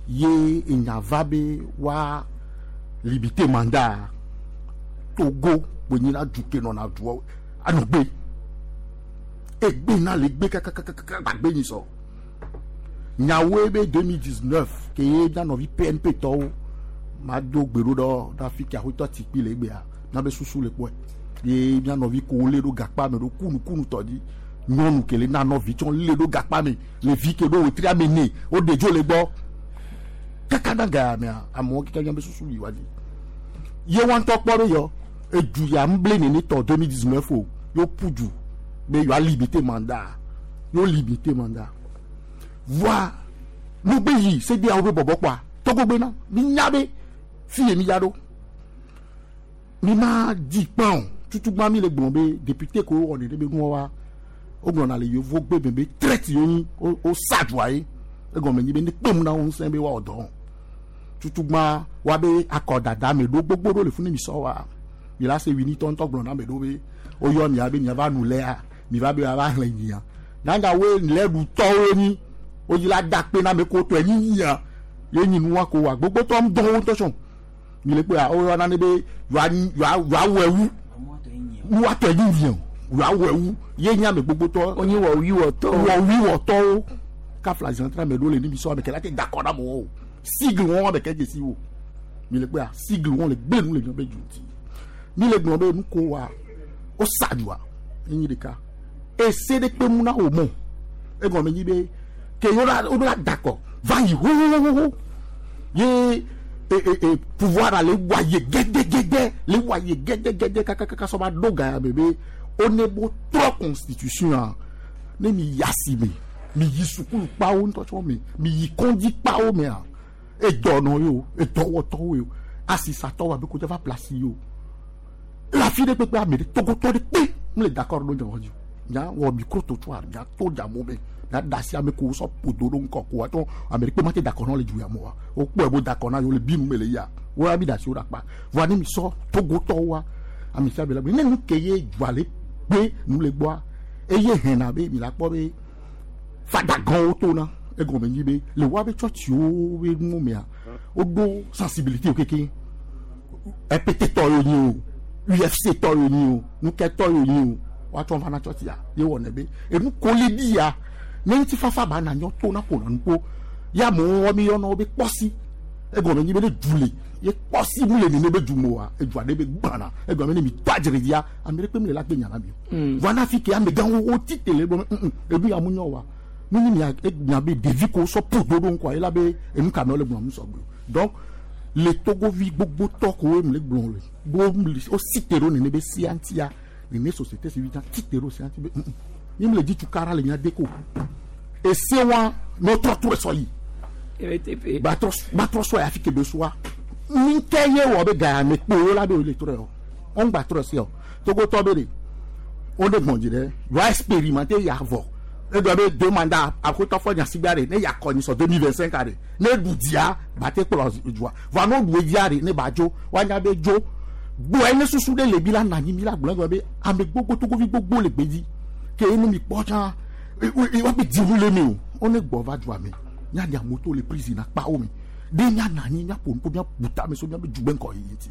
ye enya va be wa limiter mandat Togo kponyi la du ke nɔna duɔ anɔ gbe egbe na le gbe kakakakaka gbagbe nyi sɔ nyawoe be 2019 ke ye mía nɔvi PNP tɔwo ma do gbe ɖo ɖɔ ɖe afi ke aƒetɔ tikpi le egbea míabe susu le kpɔe ye mía nɔvi ko lé ɖo gakpa me ɖo kunukunu tɔ dzi nyɔnu ke le na nɔvi tsɔ lé ɖo gakpa me le vi ke ɖo wetri ame ne woɖe dzo le gbɔ kaka na ga mea amewo keke míabe susu yi wa dzi ye wa ŋutɔ kpɔ ɖo yɔ edu ya ŋble nene tɔ 2019 o yo ƒu du be yewoa limiter mandat yo limiter mandat voa nugbe yi CEDEAO be bɔbɔ kpɔa Togo gbe na mi nya be fi ye mi ya ɖo mi ma di kpã o tutugba mi le gblɔ be député ko wɔ nene be nua wa wogblɔna le yevu gbe me be traître yewo nyi wo sa dua ye egɔme nyi be ne kpem na wo ŋusẽ be woawɔ dɔ tutugba wa be akɔdada me ɖo gbogbo ɖo le funu mi sɔ wa. Mi la se wini tɔ ŋutɔ gblɔ na ame ɖewo be woyɔ mia be miava nu lea, mi va be woava xlẽ nyia. Nyanya woe lɛ ɖutɔwo nyi. Wodzi la da akpe na ame kewo tɔe nyi nyia. Ye nyi nua ko wa gbogbotɔ ŋdɔwo ŋutɔ tsɔ. Mi le kpɔa woyɔna ne be yewoa yewoa wɔe wu. Nua tɔe nyi nyia o. Yewoa wɔe wu. Ye nyi ame gbogbotɔ. Wonyi wɔwuiwɔtɔwo. Wɔwuiwɔtɔwo. Kafla zãtra ame ɖewo le ni mi sɔ ame ke la te da akɔ na amewo o. Sigle wɔn ame ke dzesi wo. Mi le kpɔa sigle wɔn le gbe nu le míaƒe du ŋuti. Mi le gblɔ be nu ko wa wosa dua enyi ɖeka. Ese ɖe kpe mu na wo mɔ. Egɔme nyi be ke yewo la woɖo la da akɔ va yi xoxoxoxo ye e e e pouvoir le wa ye gɛdɛgɛdɛ le wa ye gɛdɛgɛdɛ kakakaka sɔ va ɖo ga ya me be wone bo trɔ constitution a ne mi yi asime mi yi sukulu kpawo ŋutɔ tsɔ me mi yi kɔndzi kpawo mea edɔnɔ ye o edɔwɔtɔwo ye o asisatɔwo abe kodza va place ye o le afi ɖe kpekpe ame ɖe togotɔ ɖe kpe mu le d'accord ɖo dze dzi nya wɔ micro trottoir nya to dza mo me nya da asi ame ko sɔ ƒodo ɖo ŋkɔ ko atɔ ame ɖe kpe ma te d'accord na le du ya mo wa wokpɔe bo d'accord na yewo le bi nu me le ya wo ya mi da asi wo ɖe akpa voa ne mi sɔ togotɔwoa ame sia ame la gbe ne nu ke ye dua le kpe nu le gbɔa eye hɛna be mi la kpɔ be fadagãwo tona egɔme nyi be le woabe tsɔtsiwo be nuwo mea woɖo sensibilité wo keke EPT tɔ yewo nyi o UFC tɔ yewo nyi o nukɛ tɔ yewo nyi o woatsɔ va na tsɔtsia ye wɔnɛ be enu koli bi ya ne ŋutifafa ba na nyɔ to na ƒona nu kpo ya amewo wɔ mi yɔna wo be kpɔsi egɔme nyi be ne du le ye kpɔsi mu le nene be du me oa edua ɖe be gbãna egɔme ne mi tɔ adzre dzia ame ɖe kpe mi le la gbe nya na mi o voa na fi ke amegãwo wo ti te le gbɔ edu ya mu nyɔ wa nu nyi mia mia be ɖevi ko sɔ ƒo do ɖo ŋkɔa ye la be enu ka me wole gblɔm sɔgbe o donc le togovi gbogbo tɔ ko wo le gblɔ le wo wo si te ɖo nene be sia ŋutia nene société civile tsã ti te ɖo sia ŋuti be mi le dzi tukara le mia de ko ese wa ne wotrɔ trɔe sɔ yi gbatrɔ gbatrɔ sɔ yi afi ke be sɔa mi ke ye wɔ be ga me kpo wo la be wo le trɔe o wɔn gba trɔe sia o togotɔ be de wo ɖe gbɔn dzi ɖe yewoa expérimenter ya vɔ egblɔ be deux mandats axotɔ fɔ nyasigba ɖe ne yakɔ nyi sɔ 2025 ɖe ne ɖu dzia bate kplɔ dzoa vɔa ne woɖu edzia ɖe ne ba dzo woanya be dzo gbɔe ne susu ɖe le mi la na anyi mi la gblɔ egblɔ be ame gbogbo togovi gbogbo le gbedzi ke ne mi kpɔ tsã woabe dziwu le mi o wone gbɔ va dzoa me miaɖe amewo to le prison akpawo me ɖe miana anyi miaƒo nuƒo miabu tame so miabe dugbe ŋkɔ yiyi ŋuti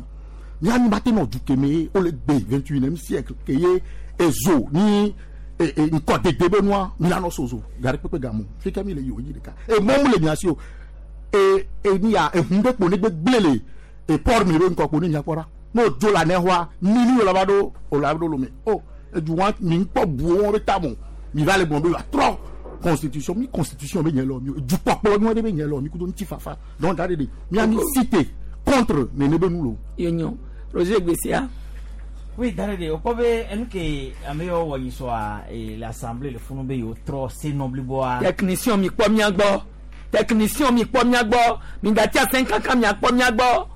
mianyi ba te nɔ du keme ye wole gbe 21e siècle ke ye ezo ni ŋkɔ dede be nua mi la nɔ sozo gari kpekpe gamu fi ke mi le yi o yi ɖeka emɔ mu le mia si o e e ni ya ehun ɖe kpo ne gbe gble le e port mi be ŋkɔ kpo ne mia kpɔ ɖa ne o dzo le anexɔa mini o la va ɖo o la ɖo lome o edu wa mi ŋkpɔ bu wo be tamo mi va le gblɔ be atrɔ constitution mi constitution be nye lɔ mi o dukpɔkplɔ nyuie ɖe be nye lɔ mi kudo ŋutifafa donc da ɖe ɖe mia mi cité contre nene be nu lo. Yenyo Roger Gbesia. Oui, dare de o kpɔ be enu ke ame yiwo wɔ nyisɔa le assemblée le funu be yewo trɔ senɔ bliboa. Technicien mi kpɔ mia gbɔ. Technicien mi kpɔ mia gbɔ. Mi gati asɛn kankan mia kpɔ mia gbɔ.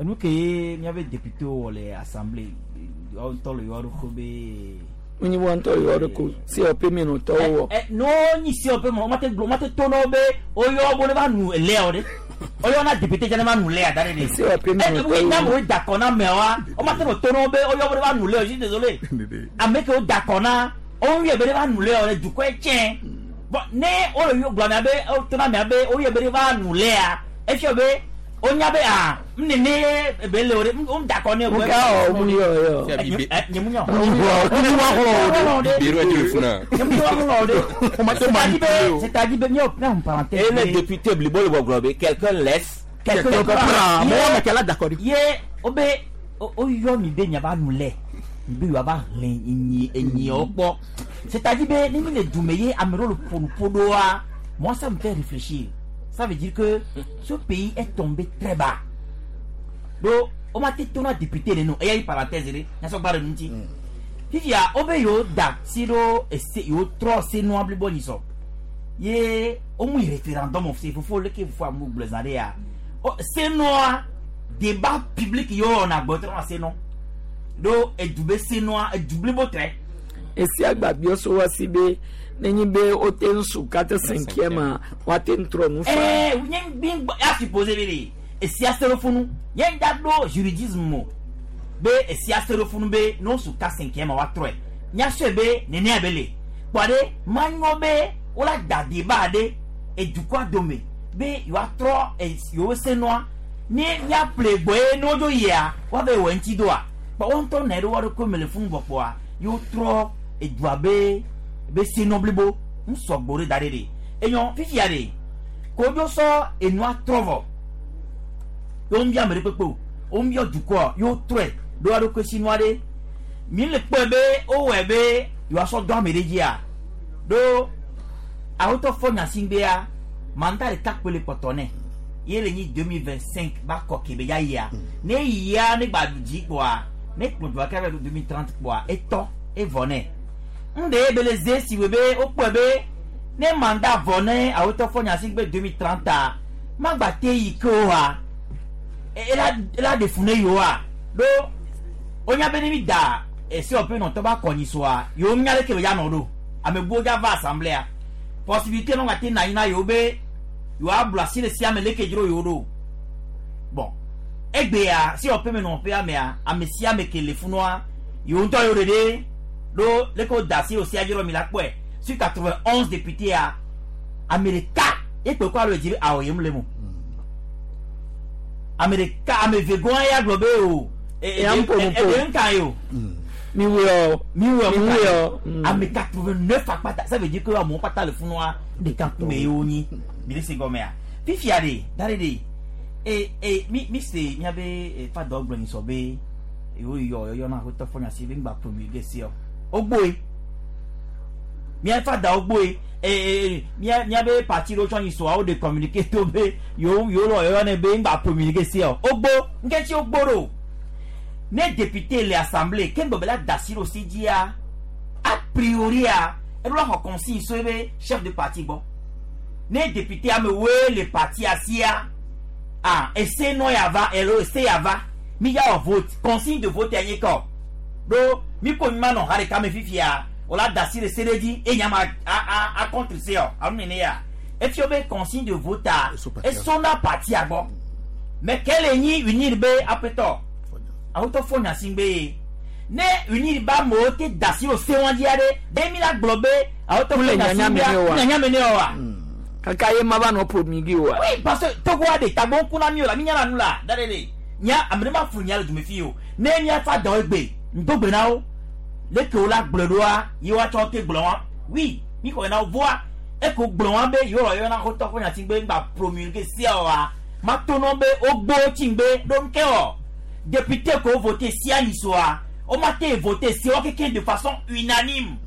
Enu ke ye miabe député wɔ le assemblée woawo ŋutɔ le yewoa ɖokui be. Wonyi wɔn ŋutɔ yewoa ɖokui COP mi nɔ tɔwo wɔ. Ɛ no nyi COP mɔ wɔn te gblɔ wɔn te to na wo be woyɔ bo ne va nu elea o ɖe. Woyɔ na député dze ne va nu lea da ɖe ɖe. COP mi nɔ tɔwo wɔ. Ne wo da kɔ na ameawoa wɔn te nɔ to na wo be woyɔ bo ne va nu lea o je suis désolé. Ame ke wo da kɔ na wo yɔ be ne va nu lea o ɖe dukɔe tsɛ. Bon ne wo le yɔ gblɔ amea be wo to na amea be wo yɔ be ne va nu lea efia be wonya be a nene ebe le o ɖe wo da kɔ ne o. Nka ɔ mu yɔ yɔ. Nye mu nyɔ. Biro ɛdi le funa. Nye mu nyɔ o ɖe. C'est-à-dire be miɔ na parenthèse. Et le député blibo le gbɔgblɔ be quelqu'un laisse. Quelqu'un prend. Mɔgɔ mɛ kɛla d'accord. Ye o be o yɔ mi be miava nu lɛ mi be yewoava hlẽ enyi enyiawo kpɔ. C'est-à-dire be ne mi le dume ye ame ɖewo le ƒo nu ƒo ɖoa moi ça me fait réfléchir. Ça veut dire que ce pays est tombé très bas. Donc, on m'a dit que député de nous. Et il y a une parenthèse, il y a une parenthèse. Fifia, obe yo da siro ese yo tro se no abli boni so. Ye o mu référendum c'est faut le que faut amu blezare ya. O se no débat public yo on a gbotro se no. Do e dube se no e double botre. Esi agbabio so wa si be nenyi be o te ŋsu quatre cinquième a wa te ŋtrɔ nu fa. Eh, nye gbi a supposé be de. Esia se ɖo funu ye ŋda ɖo juridisme o be esia se ɖo funu be ne wosu ka cinquième woatrɔe míasɔe be nenea be le kpɔ ɖe manyɔ be wola da débat ɖe edukɔa dome be yewoatrɔ yewo senɔa ne míaƒle gbɔe ne wodzo yia woave wɔ ŋuti doa kpɔ wo ŋutɔ nɔ ɖe wo ɖokui me le funu vɔ kpɔa yewo trɔ edua be senɔ blibo ŋusɔgbɔ ɖe da ɖe ɖe enyɔ fifia ɖe kodzo sɔ enua trɔ vɔ yewo ŋbia ame ɖe kpekpe o wo ŋbia dukɔa yewo trɔe ɖo wa ɖokui sinua ɖe mi le kpɔe be wowɔe be yewoasɔ do ame ɖe dzia ɖo awotɔ fɔ nyasingbea mandat ɖeka kpe le kpɔtɔ nɛ ye le nyi 2025 ba kɔ ke be ya yia ne yia ne gba ɖu dzi kpɔa ne kplɔ dua ke va ɖo 2030 kpɔa etɔ evɔ nɛ ŋɖe be le ze si wɔ be wokpɔe be ne mandat vɔ ne awotɔ fɔ nyasingbe 2030 magba te yi ke oa ela ɖe fu ne yewoa ɖo wonya be ne mi da ese wɔƒe nɔtɔ ba kɔnyi soa yewo nya leke be ya nɔ ɖo ame buwo dza va assemblée possibilité nɔ gate na anyi na yewo be yewoablu asi le sia me leke dzro yewo ɖo bon egbea si wɔƒe me nɔƒea mea ame sia ame ke le funua yewo ŋutɔ yewo ɖeɖe ɖo leke wo da asi le sia dzro mi la kpɔe sur 91 députés a ame ɖeka ekpe kɔ alo edzi be awɔ yem le mo ame ɖeka ame eve gɔn ya gblɔ be o eɖe nka ye o mi wuyɔ mi wuyɔ mi wuyɔ ame 89 akpata ça veut dire que amewo kpata le funua ɖeka kume ye wonyi mi le se gɔmea fifia ɖe da ɖe ɖe e e mi mi se miabe fa dɔ gblɔ nyi sɔ be yewo yɔ yɔyɔ na xotɔ fɔ nyasi be ŋgba promulguer se o wogboe mia fa da wogboe e mia miabe parti ɖewo tsɔ nyi sɔa wo de communiqué to be yewo yewo lɔ yɔyɔ ne be ŋgba promulguer se o wogbo ŋkɛtsi wogbo ɖo ne député le assemblée ke ŋgbɔ be la da asi ɖo si dzia a priori a eɖo la xɔ consigne so ebe chef de parti gbɔ ne député amewoe le parti asia ah ese nɔ ya va elo ese ya va mi ya wɔ vote consigne de vote ya nye kɔ ɖo mi ko mi ma nɔ ha ɖeka me fifia wòla da asi le se ɖe dzi eye nyama a a a contre se o alo nene ya efia be consigne de vote a esona partia gbɔ mɛ ke le nyi unir be aƒetɔ awotɔ fɔ nyasingbe ye ne unir ba amewo te da asi le se wɔn dzia ɖe ɖe mi la gblɔ be awotɔ fɔ nyasingbe nyanya me ne wa. Kaka ye ma va nɔ promulguer wa. Oui, parce que Togo a de tagbɔn kuna mi o la mi nyana nu la da de de nya ame ɖe ma flu nya le dume fi o ne mia fa dɔ egbe ŋdogbe na wo leke wo la gblɔ ɖoa ye woatsɔ te gblɔ wa oui mi xɔ na wo voa eko gblɔ wa be yewo yɔ na xotɔ fɔ nyati gbe ŋgba promulguer sia wa ma to nɔ be wogbo tsi ŋgbe ɖo ŋke wɔ député ko voté sia nyi soa wo ma te voté sia wo keke de façon unanime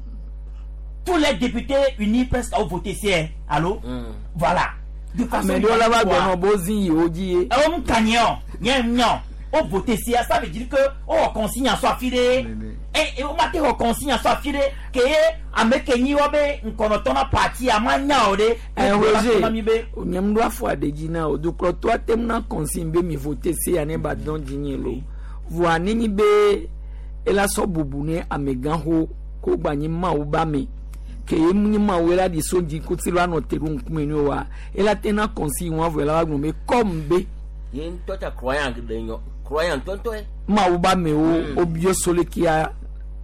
tous les députés unis presque ont voté sia allo voilà de façon ame ɖewo la va gblɔ nɔ bo zi yewo dzi ye. Ewo mu ka nye o nye nye o o voté sia ça veut dire que o wɔ consigne sɔ afi ɖe e o ma te wɔ consigne sɔ afi ɖe ke ye ame ke nyi wɔ be ŋkɔnɔtɔ na parti a ma nya o ɖe. Ɛ Roger nye mu ɖo afɔ aɖe dzi na o dukplɔtɔ ate ŋu na consigne be mi voté sia ne ba dɔn dzi nye lo voa ne nyi be ela sɔ bubu ne amegãxo ko gba nyi mawu ba me ke ye mu nyi mawu ela ɖi so dzi kuti lo anɔ te ɖo ŋkume ne wa ela te na consigne wa vɔ ela va gblɔ be comme be. Ye ŋutɔ ta croyant ɖe nyɔ croyant ŋutɔŋutɔe. Mawu ba mewo wobiɔ solekia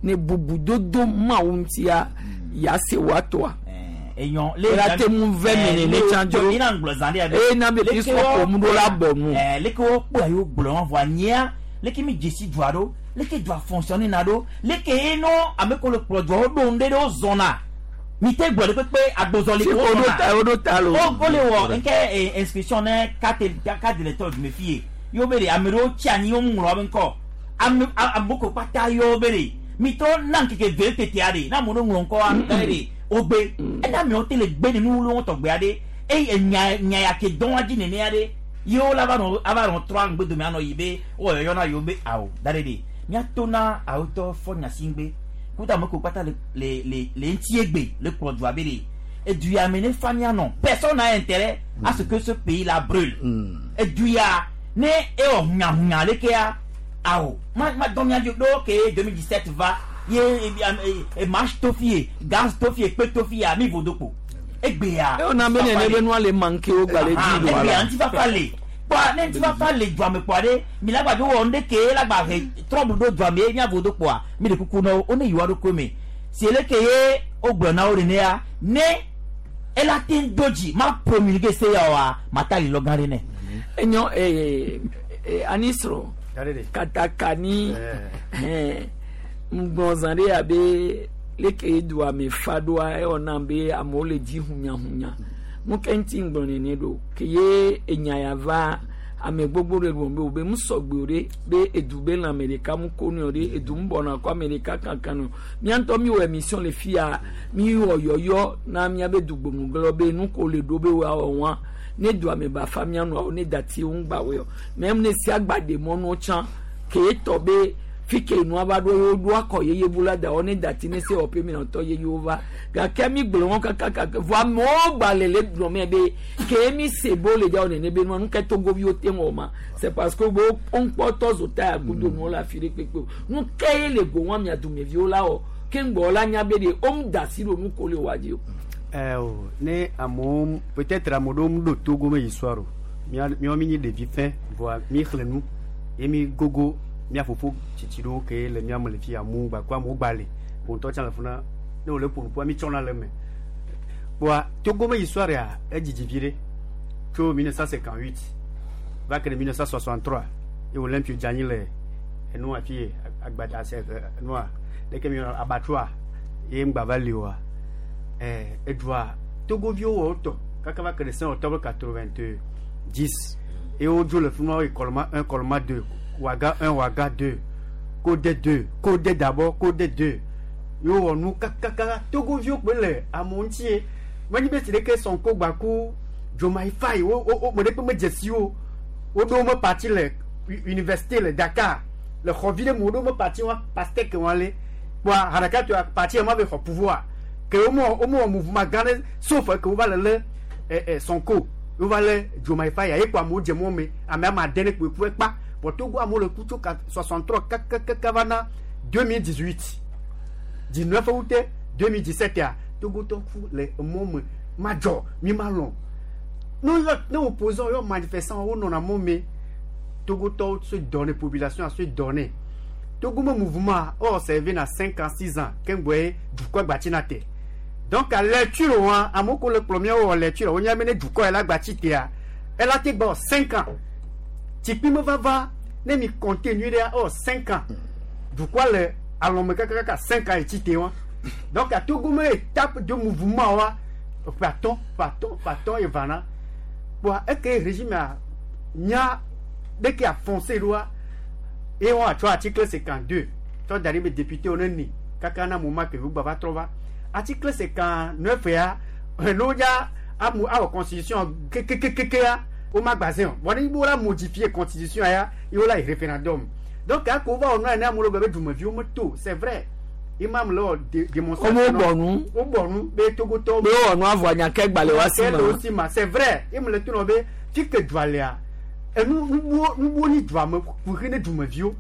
ne bubu dodo mawu ŋutia ya se wa tɔa. Enyɔ ela te ŋu vɛ me nene tsã dzro ina ŋgblɔ zã ɖe eye na be fi sɔ ƒom ɖo la bɔ nu. Leke wo kpɔ yewo gblɔ wɔn vɔa nyea leke mi dzesi dua ɖo leke dua fonctionner na ɖo leke ye nɔ ame ko le kplɔ dua wo ɖo ŋɖe ɖe wo zɔna mi te gblɔ ɖe kpekpe agbɔzɔli ko wo zɔna wo ɖo ta lo wo le wɔ nke inscription ne carte d'électeur du me fi ye yewo be de ame ɖewo tsi anyi wo ŋlɔ wobe ŋkɔ ame amoko kpata yewo be de mi trɔ na nkeke ve tetea de na amewo ŋlɔ ŋkɔa da de wogbe ena amewo te le gbe nenu wolo wɔtɔgbe aɖe eye nya nya ya ke dɔn dzi nenea ɖe yewo la va nɔ ava nɔ trɔ ŋgbe dome anɔ yi be wowɔ yɔyɔ na yewo be awo da ɖe de míato na awotɔ fɔ nyasi ŋgbe kuta ame ko kpata le le le le ŋuti egbe le kplɔ dua be de edu ya me ne fa mianɔ personne n'a intérêt à ce que ce pays là brûle edu ya ne ewɔ hunyahunya lekea awo ma ma dɔn mia ɖo ke 2017 va ye e marche to fi ye gaz to fi ye kpe to fi ya mi vodo kpo egbea. E na be nene be nua le manque wo gba le dzi do ala. Egbea ŋutifafa le kpɔ Kpɔa ne ŋutifafa le dua me kpɔa ɖe mi la gbadzo wɔ nu ɖe ke la gba he trɔbu ɖo dua me ye mia vodo kpɔa mi le kuku na wo wo ne yi wa ɖokui me si ele ke ye wogblɔ na wo nenea ne ela te ŋu do dzi ma promulguer se ya oa mata li lɔ gã ɖe nɛ. Enyɔ ee anisro katakani hɛn ŋgbɔn zã ɖe abe leke dua me fa ɖoa ewɔ nam be amewo le dzi hunyahunya nu ke ŋuti ŋgblɔ nene ɖo ke ye enya ya va ame gbogbo ɖe gblɔ be wo be ŋusɔgbe o ɖe be edu be lãme ɖeka mu ko nɔ ɖe edu ŋu bɔna kɔ ame ɖeka kankan nɔ mía ŋutɔ mi wɔ émission le fia mi wɔ yɔyɔ na míabe dugbomugblɔ be nu ko le ɖo be woawɔ wa ne dua me ba fa mía nɔawo ne dati wo ŋgba wɔe o mɛ ne sia gba ɖe mɔnuwo tsã ke etɔ be fi ke nua va ɖo ye woɖo akɔ yeye bu la da wɔ ne dati ne se wɔƒe mi nɔtɔ yeye wo va gake mi gblɔ wɔn kakaka vɔ amewo gba le le gblɔ mɛ be ke mi se bo le dza wɔ nene be nua nu ke togoviwo te wɔ ma c'est parce que wo ŋkpɔtɔ zo ta ya kudo nuwo le afi ɖe kpekpe o nu ke ye le go wɔn mia dumeviwo la wɔ ke ŋgbɔ la nya be de wo da si ɖo nu ko le wa dzi o. Ɛ o ne amewo peut-être ame ɖewo mu ɖo Togo me histoire o mía míawo mi nyi ɖevi fɛ̃ vɔa mi xlẽ nu ye mi gogo mía fofo tsitsi ɖewo ke le mía me le fi amewo gba ko amewo gba le wo ŋutɔ tsã le funa ne wole ƒo nu ƒua mi tsɔna le eme kpoa Togo me histoire ya edzidzi vi ɖe tso 1958 va ke ɖe 1963 ye Olympio dze anyi le enua fi ye agbada se enua ɖeke mi yɔna abatrua ye ŋgba va li oa ɛ edua Togoviwo wɔ wotɔ kaka va ke ɖe 5 octobre 90 ye wodzo le fi ma woyi Kɔlɔma 1 Kɔlɔma 2 Ouaga 1 Ouaga 2 Kodɛ 2 Kodɛ d'abord Kodɛ 2 ye wowɔ nu kakaka Togoviwo kpoe le amewo ŋuti ye menye be si ɖeke Sonko gba ku Diomaye Faye wo wo wo me ɖekpe medze si wo woɖo wo me parti le université le Dakar le xɔ vi ɖe me woɖo wo me parti wa Pastèque wa le kpoa haɖeka toa parti ma be xɔ pouvoir ke wo mewɔ wo mewɔ mouvement gã ɖe sauf ke wova le lé ɛ ɛ Sonko wova lé Diomaye Faye ye kpo amewo dze mɔ me ame ame ade ne kpoe ku ekpa vɔ Togo amewo le ku tso ka 63 kakakaka va na 2018 19 août 2017 ya Togotɔ ku le emɔ me madzɔ mi ma lɔn ne yɔ ne opposant yɔ manifestant wo nɔna mɔ me Togotɔwo se dɔ ne population se dɔ ne Togo me mouvement o observé na 5 ans 6 ans keŋgbɔe dukɔ gbatsi na te donc a lecture wa amewo ko le kplɔ míawo wɔ lecture wonya be ne dukɔ ya la gbatsi tea ela te gbɔ 5 ans tsikpi me vava ne mi compter nyui ɖea ewɔ 5 ans dukɔa le alɔme kakakaka 5 ans etsi te wa donc a Togo me étape de mouvement wa ƒe atɔ̃ ƒe atɔ̃ ƒe atɔ̃ ye vana kpoa eke régime a nya ɖeke afoncer ɖoa ye wɔn atsɔ article 52 tsɔ da ɖi be député wo ne ni kaka na moment ke gba va trɔ va article 59 ya ne wodza amu awɔ constitution kekekekea wo ma gba zẽ o vɔ ne wo la modifier constitution ya ye wo la yi référendum donc ako wo va wɔ nua ene amewo le gblɔ be dumeviwo meto c'est vrai imam le wɔ démonstration Wo bɔ nu. wo bɔ nu be Togotɔwo be wowɔ nu avɔ nya ke gba le wa si le wo ma si ma c'est vrai ye me le to nɔ be fi ke dua lea enu nubuwo nubuwo ni dua me kuxi ne dumeviwo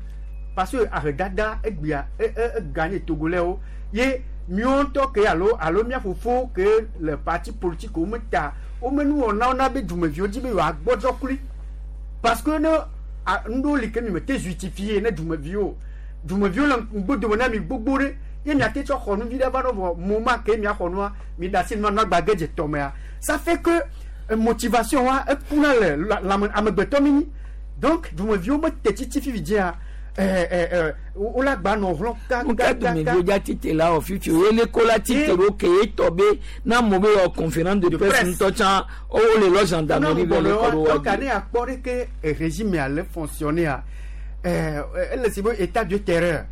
parce que ahedada egbea e e eganye Togolais ye míawo ŋutɔ ke alo alo mía fofowo ke le parti politique wo me ta wo me nuwɔnawo na be dumeviwo dzi be yewoagbɔdzɔ klui parce que ne a nuɖewo li ke mi me te justifier ne dumeviwo dumeviwo le ŋgbodome na mi gbogbo ɖe ye miate tsɔ xɔ nu vi ɖe va ɖo vɔ moment ke miaxɔ nua mi da asi nua nua gba ge dze tɔmea ça fait que motivation wa ekuna le lãme amegbetɔ mi nyi donc dumeviwo me te tsitsi fifi dzia ɛ ɛ ɛ wo la gba nɔ hlɔ̃ nu ke dumeviwo dza tite la wɔ fifi o ye le ko la tite ɖo ke ye tɔ be na amewo be wɔ conférence de presse ŋutɔ tsã wo le lɔ gendarmerie vɛ le kɔ ɖo wa donc ne akpɔ ɖe ke régime ya le fonctionner a ɛ ele si be état de terreur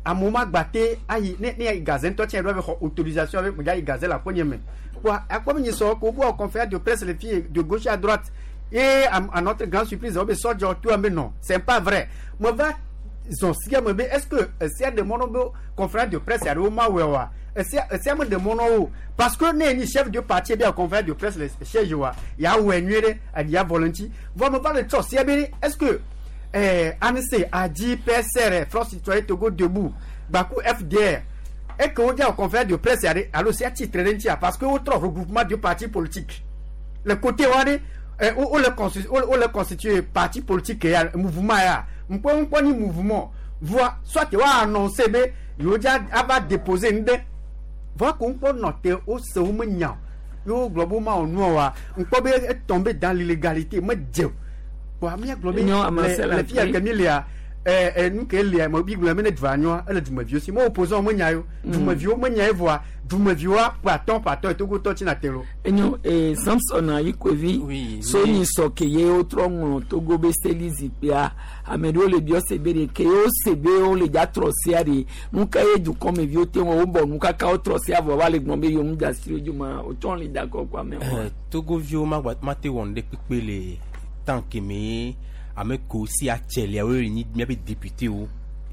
amewo ma gba te ayi ne ne ayi gaze ŋutɔ tsɛ ɖo abe xɔ autorisation abe medza yi gaze le aƒenye me kpoa akpɔ be nyisɔ ko wo conférence de presse le fie de gauche à droite et à notre grande surprise wo be sɔdzɔ to ame non c'est pas vrai me va zɔn sia me be est-ce que esia ɖe mɔ na be conférence de presse aɖewo ma wɔe oa esia esia me ɖe mɔ na wo parce que ne nyi chef de parti be conférence de presse le siège wa ya wɔe nyuie ɖe aɖi avɔ le ŋuti vɔ me va le tsɔ sia be est-ce que ANC ADI PSR Front Citoyen Togo Debout gbaku FDR eke wodza wɔ conférence de presse aɖe alo sia tsitre ɖe ŋutia parce que wotrɔ regroupement de partis politiques le côté wa ɖe Wo le constituer parti politique ya, mouvement ya ŋkpɔ ni mouvement voa soit wa annoncer be yewo dza ava déposer ŋɖe voa ko ŋkpɔ nɔ te wo se wo me nya o yewo gblɔ be wo ma wɔ nua oa, ŋkpɔ be etomber dans l'illégalité me dze o. Kpoa míagblɔ be Enyo, ame le se la le fi ya kpe. ke mi lea, nu ke lia me bi gblɔ be ne dua nyoa, ele dumeviwo si me opposant me nya yo, dumeviwo me nya ye, voa dumeviwoa ƒe atɔ̃ ƒe atɔ̃ Togotɔ tsina te lo. Enyo, Samson Ayikovi so nyi sɔ ke ye wotrɔ ŋlɔ Togo be seli zikpuia, ame ɖewo le biɔ se be ɖe ke ye wose be wole dza trɔ sea ɖe, nu ka ye dukɔmeviwo te ŋu wobɔ nu kaka wotrɔ sea vɔ va le gblɔm be yewo ŋu da asi ɖe wo dzi ma wotsɔ le da kɔ kɔ amewo. Togoviwo mate wɔ nu ɖe kpekpe le tant que me ame ko si atselia wo le nyi miabe député wo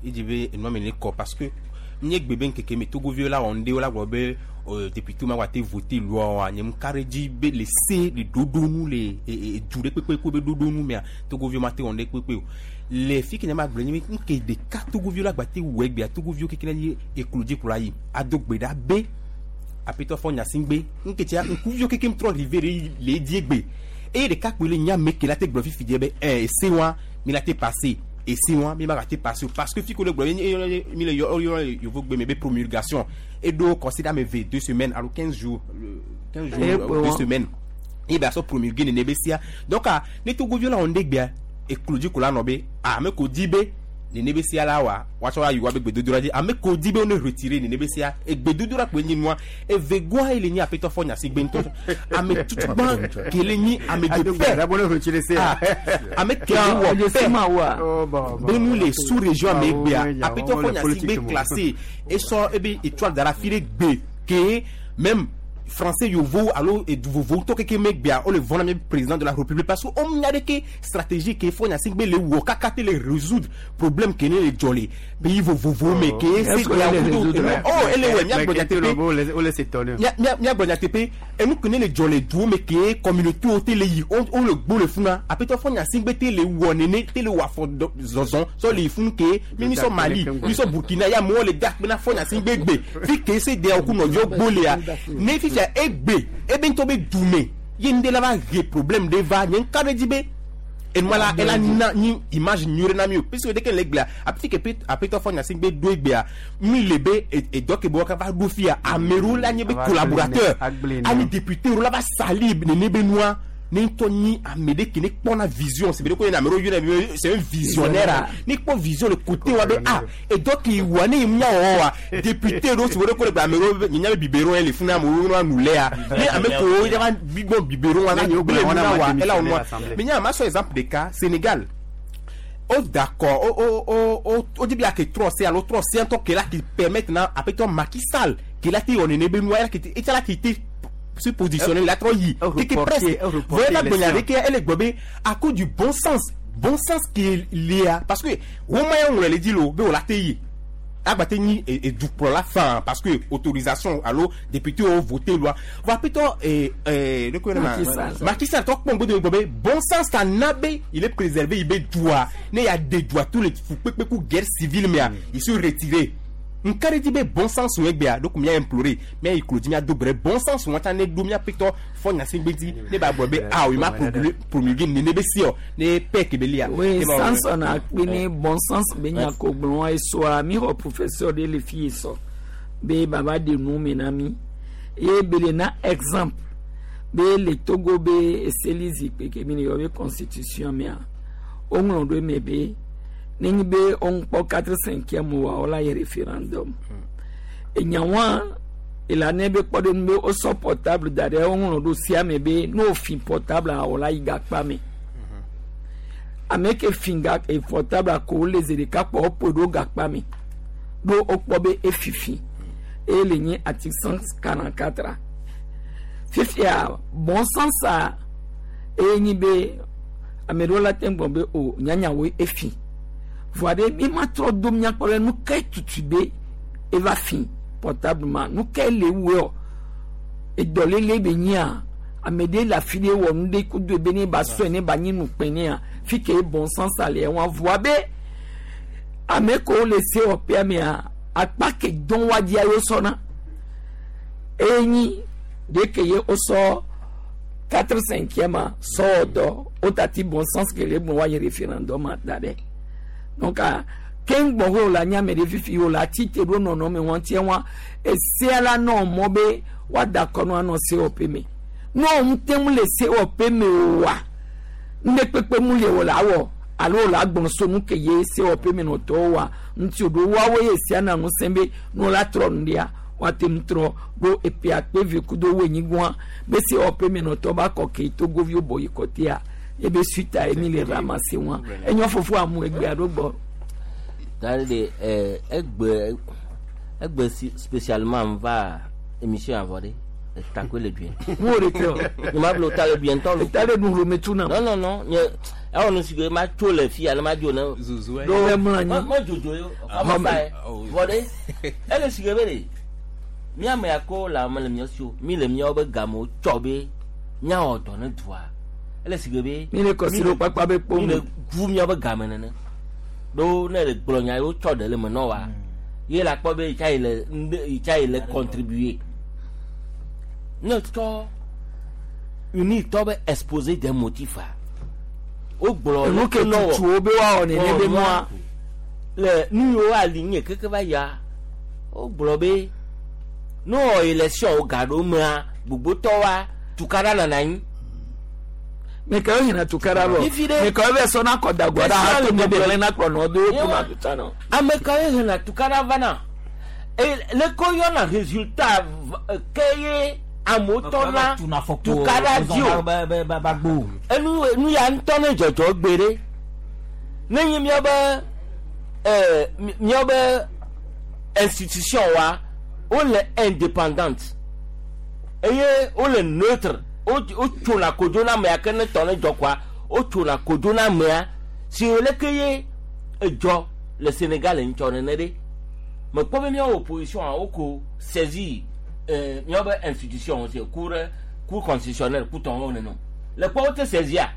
edzi be enua me ne kɔ, parce que nye gbe be ŋkeke me Togoviwo la wɔ nu ɖe wo la gblɔ be député ma gba te voter loi wa, nye ŋka ɖe dzi be le se le ɖoɖo nu le du ɖe kpekpe ko be ɖoɖo nu mea, Togoviwo ma te wɔ nu ɖe kpekpe o. Le fi ke nye ma gblɔ nye be ŋke ɖeka Togoviwo la gba te wɔ egbea, Togoviwo keke ne nye eklo dzi kplɔ ayi ado gbe ɖa be Aƒetɔ Faure Gnassingbé ŋke tia ŋkuviwo keke trɔ rive ɖe le edzi egbe eye ɖeka kpoe le nya me ke la te gblɔ fifi dze be ese wa mi la te passer, ese wa mi ma ga te passer o, parce que fi ko le gblɔ ye mi le yɔ yɔ yovogbe me be promulgation eɖo considère ame ve 2 semaines alo 15 jours, 15 jours, Eh, 2 semaines ye be asɔ promulguer nene be sia. Donc a ne Togoviwo la wɔ nu ɖe gbea, eklo dzi ko la nɔ be ame ko di be nene be sia la wa woatsɔ ayi wa be gbedodoɖa dzi, ame ko di be wo ne retirer nene be sia, egbedodoɖa kpoe nyi nua. Evegoa ye le nyi Aƒetɔ Faure Gnassingbé ŋutɔ, ame tutugbã ke le nyi ame de Ado paix gbe ɖa be ne retirer sia. Ah, ame ke le wɔ Edze paix ma woa. Oh, bon, bon. be nu le sous région ame Ah, gbea, oui, Aƒetɔ oui, Faure Gnassingbé politique, classé esɔ ebe étoile dara fi ɖe gbe ke même français yovo alo edu vovowo tɔ keke me gbea wo le vɔn na mi président de la République, parce que wo nya ɖe ke stratégie ke Faure Gnassingbé le wɔ kaka te le résoudre problème ke ne le dzɔ le pays vovovowo me ke Est-ce que ele résoudre? Oh, ele wɔ Mais miagblɔ ke te nyateƒe. lo be wo le s'étonner. Miagblɔ nyateƒe, enu ke ne le dzɔ le duwo me ke communauté wo te le yi wo le gbo le funa, Aƒetɔ Faure Gnassingbé te le wɔ nene te le wɔ afɔ zɔzɔ sɔ le yi funu ke mi sɔ Mali, mi sɔ Burkina ya amewo le da akpe na Faure Gnassingbé gbe fi ke se de ku nɔviwo gbo lea ne fifia egbe ebe ŋutɔ be dume ye ŋɖe la va he problème ɖe va nye ŋka ɖe dzi be enua la ela na nyi image nyui ɖe na mi o, puisque dès que le gbea afi ke Aƒetɔ Faure Gnassingbé ɖo egbea mi le be edɔ ke be wa va ɖo fia ame ɖewo la nye be Ava collaborateur agblẽ ne. ani député ɖewo la va sali nene be nua ne ŋutɔ nyi ame ɖe ke ne kpɔna vision, c'est be ko ame ɖewo yɔna be c'est un visionnaire a ne kpɔ vision le côté wa be ah, edɔ ke wa ne mia wɔwɔ wa député ɖewo si be ko le gbe ame ɖewo be nye nya be biberon ye le funu amewo nua nu lea ne ame kewo ya va gbɔ biberon wa Ne la yewo gblẽ gblẽ nu na wɔna wa ma ela wɔ démissionner nua. l'Assemblée. Mais nya ma sɔ exemple ɖeka, Sénégal o d'accord, o di bi ake trɔ se alo trɔ se ŋutɔ ke la qui permettre na Aƒetɔ Macky Sall ke la te wɔ nene be nua ela ke te etsa la ke te se positionner la trɔ yi O keke reporter- presque o reporter voyez la élection. gbɔnya ɖe ke ele gbɔ be à cause du bon sens, bon sens ke lia, parce que woma ya ŋlɔ le dzi lo be wòla te yi agbate nyi edukplɔla fan, parce que autorisation alo député wo voté loi va Aƒetɔ ne ko yɛrɛ ma Macky Sall. Macky Sall tɔ kpɔn gbodo gbɔ be bon sens ta na be il est préservé il be dua ne ya de dua tous les fukpekpe ku guerre civile mea il se retiré. Nka ɖe dzi be bon sens wɔ egbea donc mia implorer mia yi klo dzi mia do gbe ɖe bon sens wɔn tsa ne ɖo mia Aƒetɔ Faure Gnassingbé dzi ne ba gblɔ be ah, o ma promulguer nene be si ɔ ne paix ke be lia. Oui, Ne ba wɔ- Samson akpe ne bon sens be nya ko gblɔ esɔa mi xɔ professeur ɖe le fi yi sɔ be baba de nu me na mi ye be le na exemple be le Togo be eseli zikpui ke mi le yɔ be constitution mea, woŋlɔ ɖo eme be nenye be woŋkpɔ quatre cinquième wa wola yi référendum. Enyawa ela ne be kpɔ ɖe nu be wosɔ portable da ɖe woŋlɔ ɖo sia me be ne wofi portable a wola yi gakpa me. Ame ke fi ga e portable ko wole zi ɖeka kpɔ woƒoe ɖo gakpa me ɖo wokpɔ be efifi eye le nye article 144. Fifia bon sens a eye nyi be ame ɖewo la te ŋu gblɔ be o nyanyawoe efi voa ɖe mi ma trɔ do míakpɔ ɖe nu ke tutu be eva fi portable ma, nu ke le wue ɔ edɔlele be nyia ame ɖe le afi ɖe wɔ nu ɖe kudo ebe ne ba sɔe ne ba nyi nukpe nea fi ke bon sens le wa voa be ame kewo le sewɔƒea mea akpa ke dɔn wa dzia yewo sɔna eye nyi ɖe ke ye wosɔ. 4 5e sɔwɔdɔ wotati bon sens ke le bon wa yi référendum da ɖe donc keŋgbɔ wo la nyame ɖe fifi wo la tite ɖo nɔnɔme wɔn tiɛ wa esea la nɔ mɔ be woada kɔnu anɔ sewɔƒe me ne wo te ŋu le sewɔƒe me oa ŋɖe mu le wo la wɔ alo wo la gbɔn so nu ke ye sewɔƒe me nɔtɔwo wa ŋuti o ɖo woawo ye sia na ŋusẽ be ne wo la trɔ nu ɖia woate ŋu trɔ ɖo epe akpe ve kudo wo enyigbɔa be sewɔƒe me nɔtɔ ba kɔ ke togoviwo bɔ yi kɔtea ebe suita ye mi le ramase wa enyɔ fofo amu egbea ɖo gbɔ. Tari de egbe egbe si spécialement va émission avɔ de takoe le due. Mo de tɛ o. Nye ma blo ta le due ŋutɔ lo. Ta le nu hlome tu na. Non non non nye ewɔ nu si ke ma tso le fi ale ma dzo ne. Zuzu ye. Ɖo mlɔ anyi. Ma dzodzo ye o. Ame fa ye. Vɔ de ele si ke be de mía me ya ko le ame le mía si o mi le míawo be gamewo tsɔ be míawɔ dɔ ne dua ele si ke be. Mi le kɔsi ɖo kpakpa be kpo mi le ʋu míawo be game nene ɖo ne le gblɔ nya yewo tsɔ ɖe le me nɔ wa ye la kpɔ be yitsa yi le ŋɖe yitsa yi le contribuer ne tsɔ unitɔ be exposé des motifs a wogblɔ Nu ke tutu wo be woawɔ nene be nua. Le nu yiwo ali nye keke va yia wogblɔ be ne wɔ élection wo gaɖo mea gbogbotɔwoa tukaɖa nana anyi. Mekawo hina tukaɖa vɔ. Fifi ɖe. Mekawo bɛ sɔna kɔdagua ɖa hato ne be lena kplɔ nɔ do wo kuma tuta nɔ. Ame kawoe hena tukaɖa vana? Eye leke woyɔna résultat ke ye amewo tɔna tukaɖa dzi o? Enu nu ya ŋutɔ ne dzɔdzɔ gbe ɖe. Ne nye míabe míabe institution wa wole indépendante eye wole neutre wotsona kodzo na amea ke ne tɔ ne dzɔ koa wotsona kodzo na amea si leke ye edzɔ le Sénégal ŋtsɔ nene ɖe mekpɔ be míawo opposition a woko saisir míawo be institution si cour cour constitutionnelle ku tɔwo nene o le kpɔ wote saisir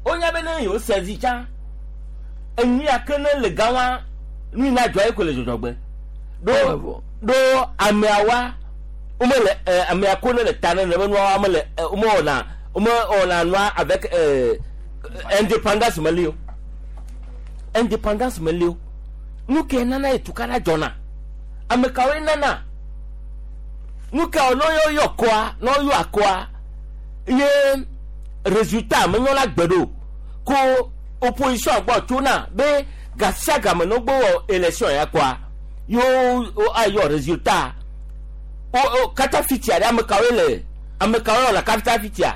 wonya be ne yewo saisir tsã enu ya ke ne le gã wa nu yi na dzɔ ye ko le dzɔdzɔgbe ɖo ɖo ameawa womele amea ko ne le ta ne ne be nua womele womewɔna womewɔna nua avec indépendance meli o indépendance meli o nu ke nana ye tukaɖa dzɔna ame kawoe nana nu ka ne woyɔ kɔa ne woyɔ akɔa ye résultat menyɔna gbe ɖo ko opposition gbɔ tsona be gasia game ne wogbɔ wɔ élection ya kɔa yewo ayɔ résultat o katafitia ɖe ame kawoe le ame kawoe wɔna katafitia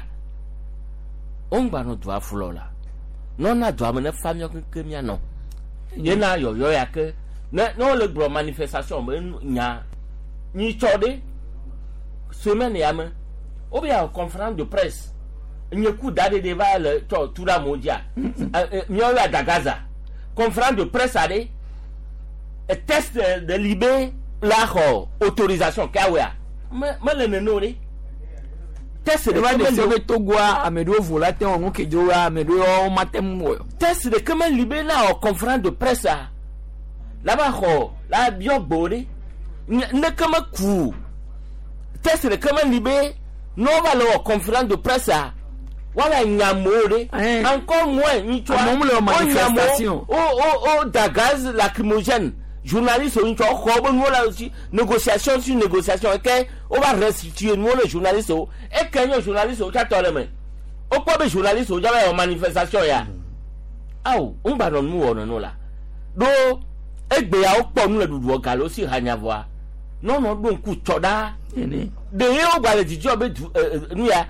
woŋgba nɔ dua fulɔ la nɔna dua me ne fa míawo keŋkeŋ míanɔ yena yɔyɔ ya ke ne ne wole gblɔ manifestation be nya nyitsɔ ɖe semaine ya me wobe ya conférence de presse nye ku da ɖeɖe va le tsɔ tu ɖe amewo dzia míawo ya dagaza conférence de presse aɖe test de libé la xɔ autorisation ke awɔa me mele nene o ɖe test Eva ɖeke de se meli be Togoa ame ɖewo vo la te wɔ nu ke dzo wa ame ɖewo mate ŋu wɔ. Test ɖeke meli be na wɔ conférence de presse a la va xɔ la biɔ gbe ɖe neke meku test ɖeke meli be ne wova le wɔ conférence de presse a wala nyamewo ɖe encore moins ŋutsua Amewo le wɔ manifestation. wo wo wo da gaz lacrymogène journaliste ŋutsua xɔ wobe nuwo la si négociation sur négociation eke wova restituer nuwo le journaliste wo eke nye journaliste wo tsatɔ le me wokpɔ be journaliste wo dzaba wɔ manifestation ya awo ŋgba nɔ nu wɔ nɔnɔ la ɖo egbea wokpɔ nu le ɖuɖuɔ galo si hanyavɔa nɔnɔ ɖo ŋku tsɔ ɖaa ɖe ye wogba le dzidzɔ be du nu ya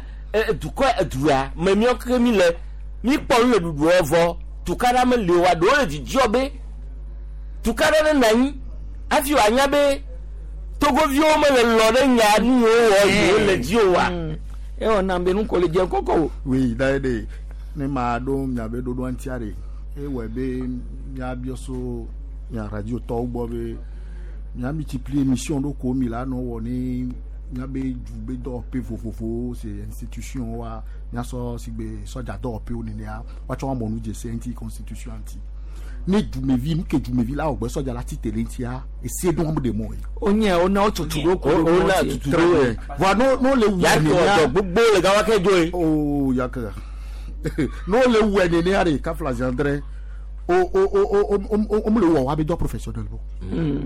dukɔ du ya me míawo keke mi le mi kpɔ nu le ɖuɖuɔ vɔ tukaɖa meli o wa ɖewo le dzidzɔ be tukaɖa ne nɔ anyi hafi wòanya be togoviwo mele lɔ ɖe nya nu yiwo wɔ yewo le dzi o wa. Ewɔ nam be nu ko le dze kɔkɔ o. Oui, da de ne ma ɖo miabe ɖoɖoa ŋutia ɖe ewɔe be miabiɔ so mia radio tɔwo gbɔ be mia multiplier émission ɖo ko mi la nɔ wɔ ne miabe du be dɔwɔƒe vovovowo se institution wa miasɔ si gbe sɔdza dɔwɔƒewo nenea woatsɔ woamɔ nu dzesi ŋuti constitution ŋuti. Ne dumevi nu ke dumevi la wɔ gbɛ sɔdza la ti te le ŋutia ese ɖo wɔm ɖe mɔ ye. O nye o na o tutu ɖo ko O na tutu ɖo ye. Voa no no le wu Ya ke wɔ dɔ gbogbo le gawa ke dzo ye. Oh ya ke no le wu nenea de kafla zandre o o o o o o o le wɔ wa be dɔ professionnel bo.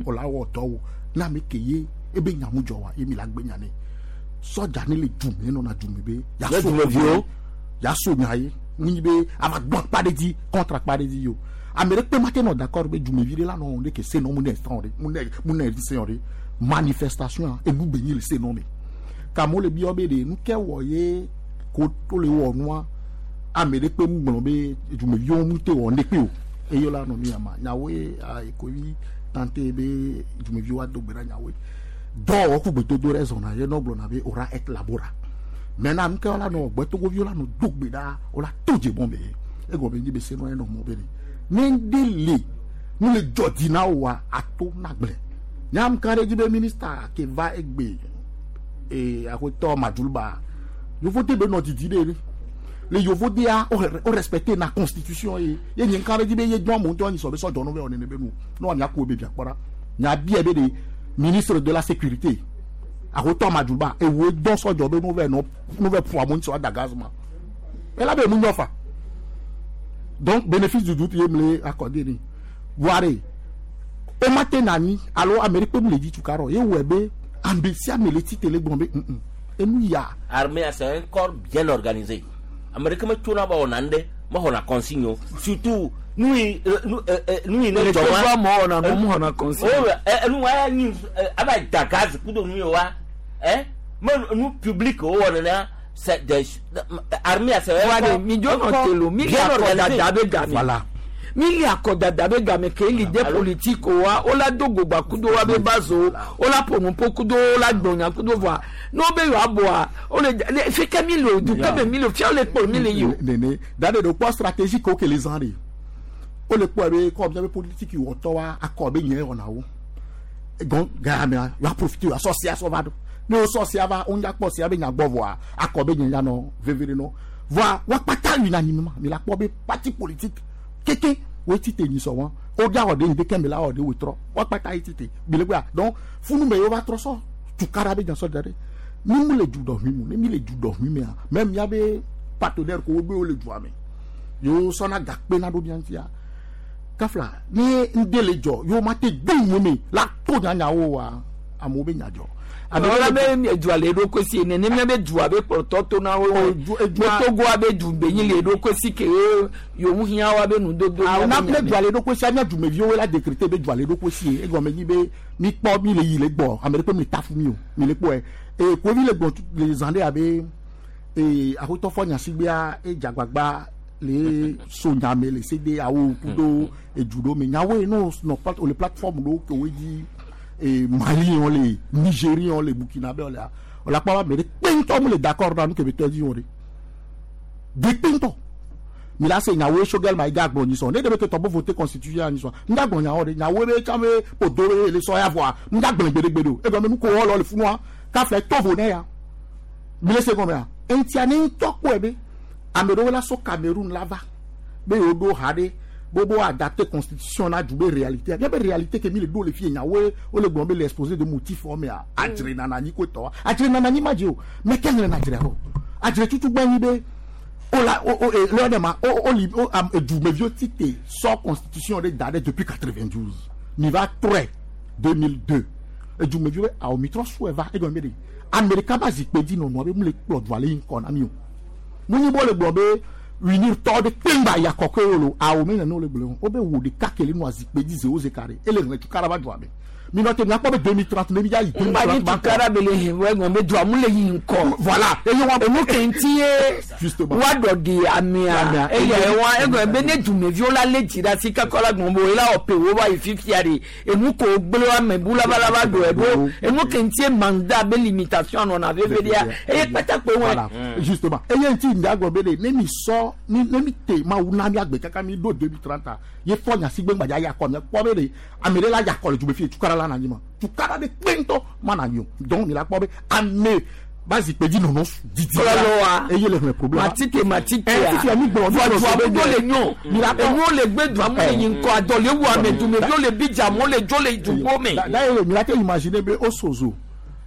O la wɔ dɔ wo na ame ke ye ebe nyamu dzɔ wa ye mi la gbe nya ne sɔdza ne le dume nɔna dume be ya Ne so dumeviwo. ya so nya ye ŋunyi be ava gbɔn akpa ɖe dzi contre akpa ɖe dzi yi o ame ɖe kpe ma te nɔ d'accord be dumevi ɖe la nɔ ɖe ke se nɔ mu ne sɔn ɖe mu ne mu ne se ɖe manifestation enu be nyi le se nɔ me kamewo le biɔ be ɖe nu ke wɔ ye ko to le wɔ nua ame ɖe kpe mu gblɔ be dumeviwo mu te wɔ ŋɖe kpe o eye la nɔ nu ya ma nyawoe ayi tante be dumeviwo ado gbe ɖa nyawoe dɔwɔwɔ ku gbedodo ɖe zɔna ye nɔ gblɔna be ora et labora maintenant nu ke la nɔ gbɛtogoviwo la nɔ do gbe ɖa wo la to dze bɔn be egɔme nyi be se nɔ enɔ mɔ be ɖe ne ŋɖe le nu le dzɔ dzi na woa ato na gblẽ nyam ka ɖe dzi be minista ke va egbe ee aƒetɔ maduluba yovode be nɔ didi ɖe le yovodea o respecte na constitution ye ye nye ka ɖe dzi be ye dɔn amewo ŋutɔ nyi sɔ be sɔdzɔ nu be wɔ nene be nu ne wòanya ku be bia kpɔ ɖa nya bia be de ministre de la sécurité aƒetɔ maduluba ewoe dɔn sɔdzɔ be nu vɛ nɔ nu vɛ ƒo amewo ŋuti wòada gaz ma ela be emu nyɔ fa donc bénéfice du doute ye mle accordé ni voire o ma te na anyi alo ame ɖe kpe mu le dzi tuka ɖɔ ye wɔe be ame sia ame le tite le gblɔ be ŋ enu ya. Armée c'est un corps bien organisé. Ame ɖeke metsona va wɔna nu ɖe mexɔna consigne o surtout nu yi nu nu yi ne Le dzɔ Togo wa. amewo wɔna nu, woxɔna consigne. O ɛ nu wa nyi ava da gaz kudo nu yi wa ɛ me nu public wo wɔ nenea c'est des armée c'est un Wa corps de mi dzo un nɔ corps te lo mi li bien akɔdada organisé. be game. Voilà. Mi li akɔdada be game ke leader politique wa wo la do gogba kudo wa be bazo wo la ƒo kudo wo la gbɔnya kudo voa ne wo be yewoa bɔa wo le le fi ke mi le o du ke me mi le o fia wo le kplɔ mi le yi o. Nene dade do kpɔ stratégie ko ke le zã de o le kpɔ be kɔ miabe politique wɔtɔ wa akɔ be nye wɔna wo gɔn gamea wa profiter wa sɔ sia sɔ va do ne wo sɔ sia va wo ŋdza kpɔ sia be nya gbɔ vɔa akɔ be nye ya nɔ veve ɖe nɔ voa wa kpata yina anyi ma mi la kpɔ be parti politique keke wo ti te nyi sɔ wɔn wo dza wɔ de ŋdi ke mi la wɔ de wo trɔ wa kpata yi ti te bi le gbea donc funu me ye wo va trɔ sɔ tukara be nya sɔ da ɖe mi mu le du dɔ hui mu ne mi le du dɔ hui mea même miabe partenaire ko wo be wo le dua me yewo sɔna gakpe na ɖo mia ŋutia kafla ne ŋde le dzɔ yewo ma te do nu me la to nyanyawo wa amewo be nya dzɔ. Wala be dua le eɖokui si nene mía be dua be kplɔtɔ to na wo be Togoa be du be nyi le eɖokui si ke ye yewo hiã wa be nudodo. Awo na ne dua le eɖokui si anya dumeviwo la décréter be dua le eɖokui si ye egɔme nyi be mi kpɔ mi le yi le gbɔ ame ɖe kpe mi le tafu mi o mi le kpɔe eye kovi le gbɔ le zã ɖe abe ee aƒetɔ fɔ nyasigbea edzagbagba le so nyame le se de awo kudo edu ɖewo me nyawoe ne nɔ plat le plateforme ɖewo ke wo dzi ee Mali wɔn le Nigérie wɔn le Burkina be wɔn lea wòle akpɔ be ame ɖe kpe ŋutɔ mu le d'accord na nu ke be tɔ dzi wɔn ɖe de kpe ŋutɔ mi la se nyawoe sogɛl ma yi ga gblɔ nyisɔ ne ɖe be ke tɔ bo voter constitution ya nyisɔ n ga gblɔ nyawo ɖe nyawoe be tsã be ƒodo be le sɔ ya vɔa n ga gblɔ gbeɖegbeɖe o egɔme nu ko wɔ le funua kafla tovo ne ya mi le se gɔmea eŋutia ne ŋutɔ kpɔe be ame ɖewo la so Cameroun la va be yewo ɖo ha ɖe bobo adapter constitution na du be réalité miabe réalité ke mi le ɖo le fie nyawoe wole gblɔ be le exposé de motif wɔ mea adzre nana anyi ko tɔ adzre nana anyi ma dzi o mɛ ke ŋlɛ na adzre o adzre tutu gbɛ nyi be o la o o e lɔ ɖe ma o o li o am edumeviwo ti te sɔ constitution ɖe da ɖe depuis 92 mi va trɔe 2002 edumeviwo be awo mi trɔ sɔe va egɔme be de amerika ba zikpe dzi nɔnɔ be mu le kplɔ dua le yi ŋkɔ na mi o mu nyi bo le gblɔ be unir tɔ ɖe kpengba ya kɔkɔe wo lo awo mi nene wo le gblɔ wo be wo ɖeka ke le nɔ zikpe dzi zewo ze ka ɖe ele hlẽ tukara va dua me mi nɔ te miakpɔ be 2030 ne mi dza yi Ŋgba nyi tukara be le hɛn wɔ egɔme be dua mu le yi ŋkɔ. Voilà. Eye wa enu ke ŋuti ye Justement. wa dɔ di amea eye wa egɔme be ne dumeviwo la lé dzi ɖe asi kakɔ la gbɔn bo ela wɔ pe wo va yi fifia de enu ko gblẽ wa ame bu labalaba do ɛɖo enu ke ŋuti ye mandat be limitation nɔna veve ɖia eye kpatakpe wɔ. Voilà. Justement. Eye ŋuti ŋdea gblɔ be ɖe ne mi sɔ mi ne mi te mawu na mi agbe kaka mi ɖo 2030 ye fɔ nyasigbe ŋgbadza ya kɔ mi kpɔ be ɖe ame ɖe la ya kɔ le dugbe fie tukara la na anyi ma tukara ɖe kpe ŋutɔ ma na anyi o donc mi la kpɔ be ame Ba zikpe dzi nɔnɔ didi. Kɔlɔlɔa. Eye le hlẽ problème. Matike matike. Fifia mi gblɔ. Vɔ dua gbogbo le nyɔ. Enuwo le gbe dua mu le yi ŋkɔ adɔ le wu ame dumeviwo le bidza amewo le dzo le dugbo me. D'ailleurs mi la te imaginer be osozo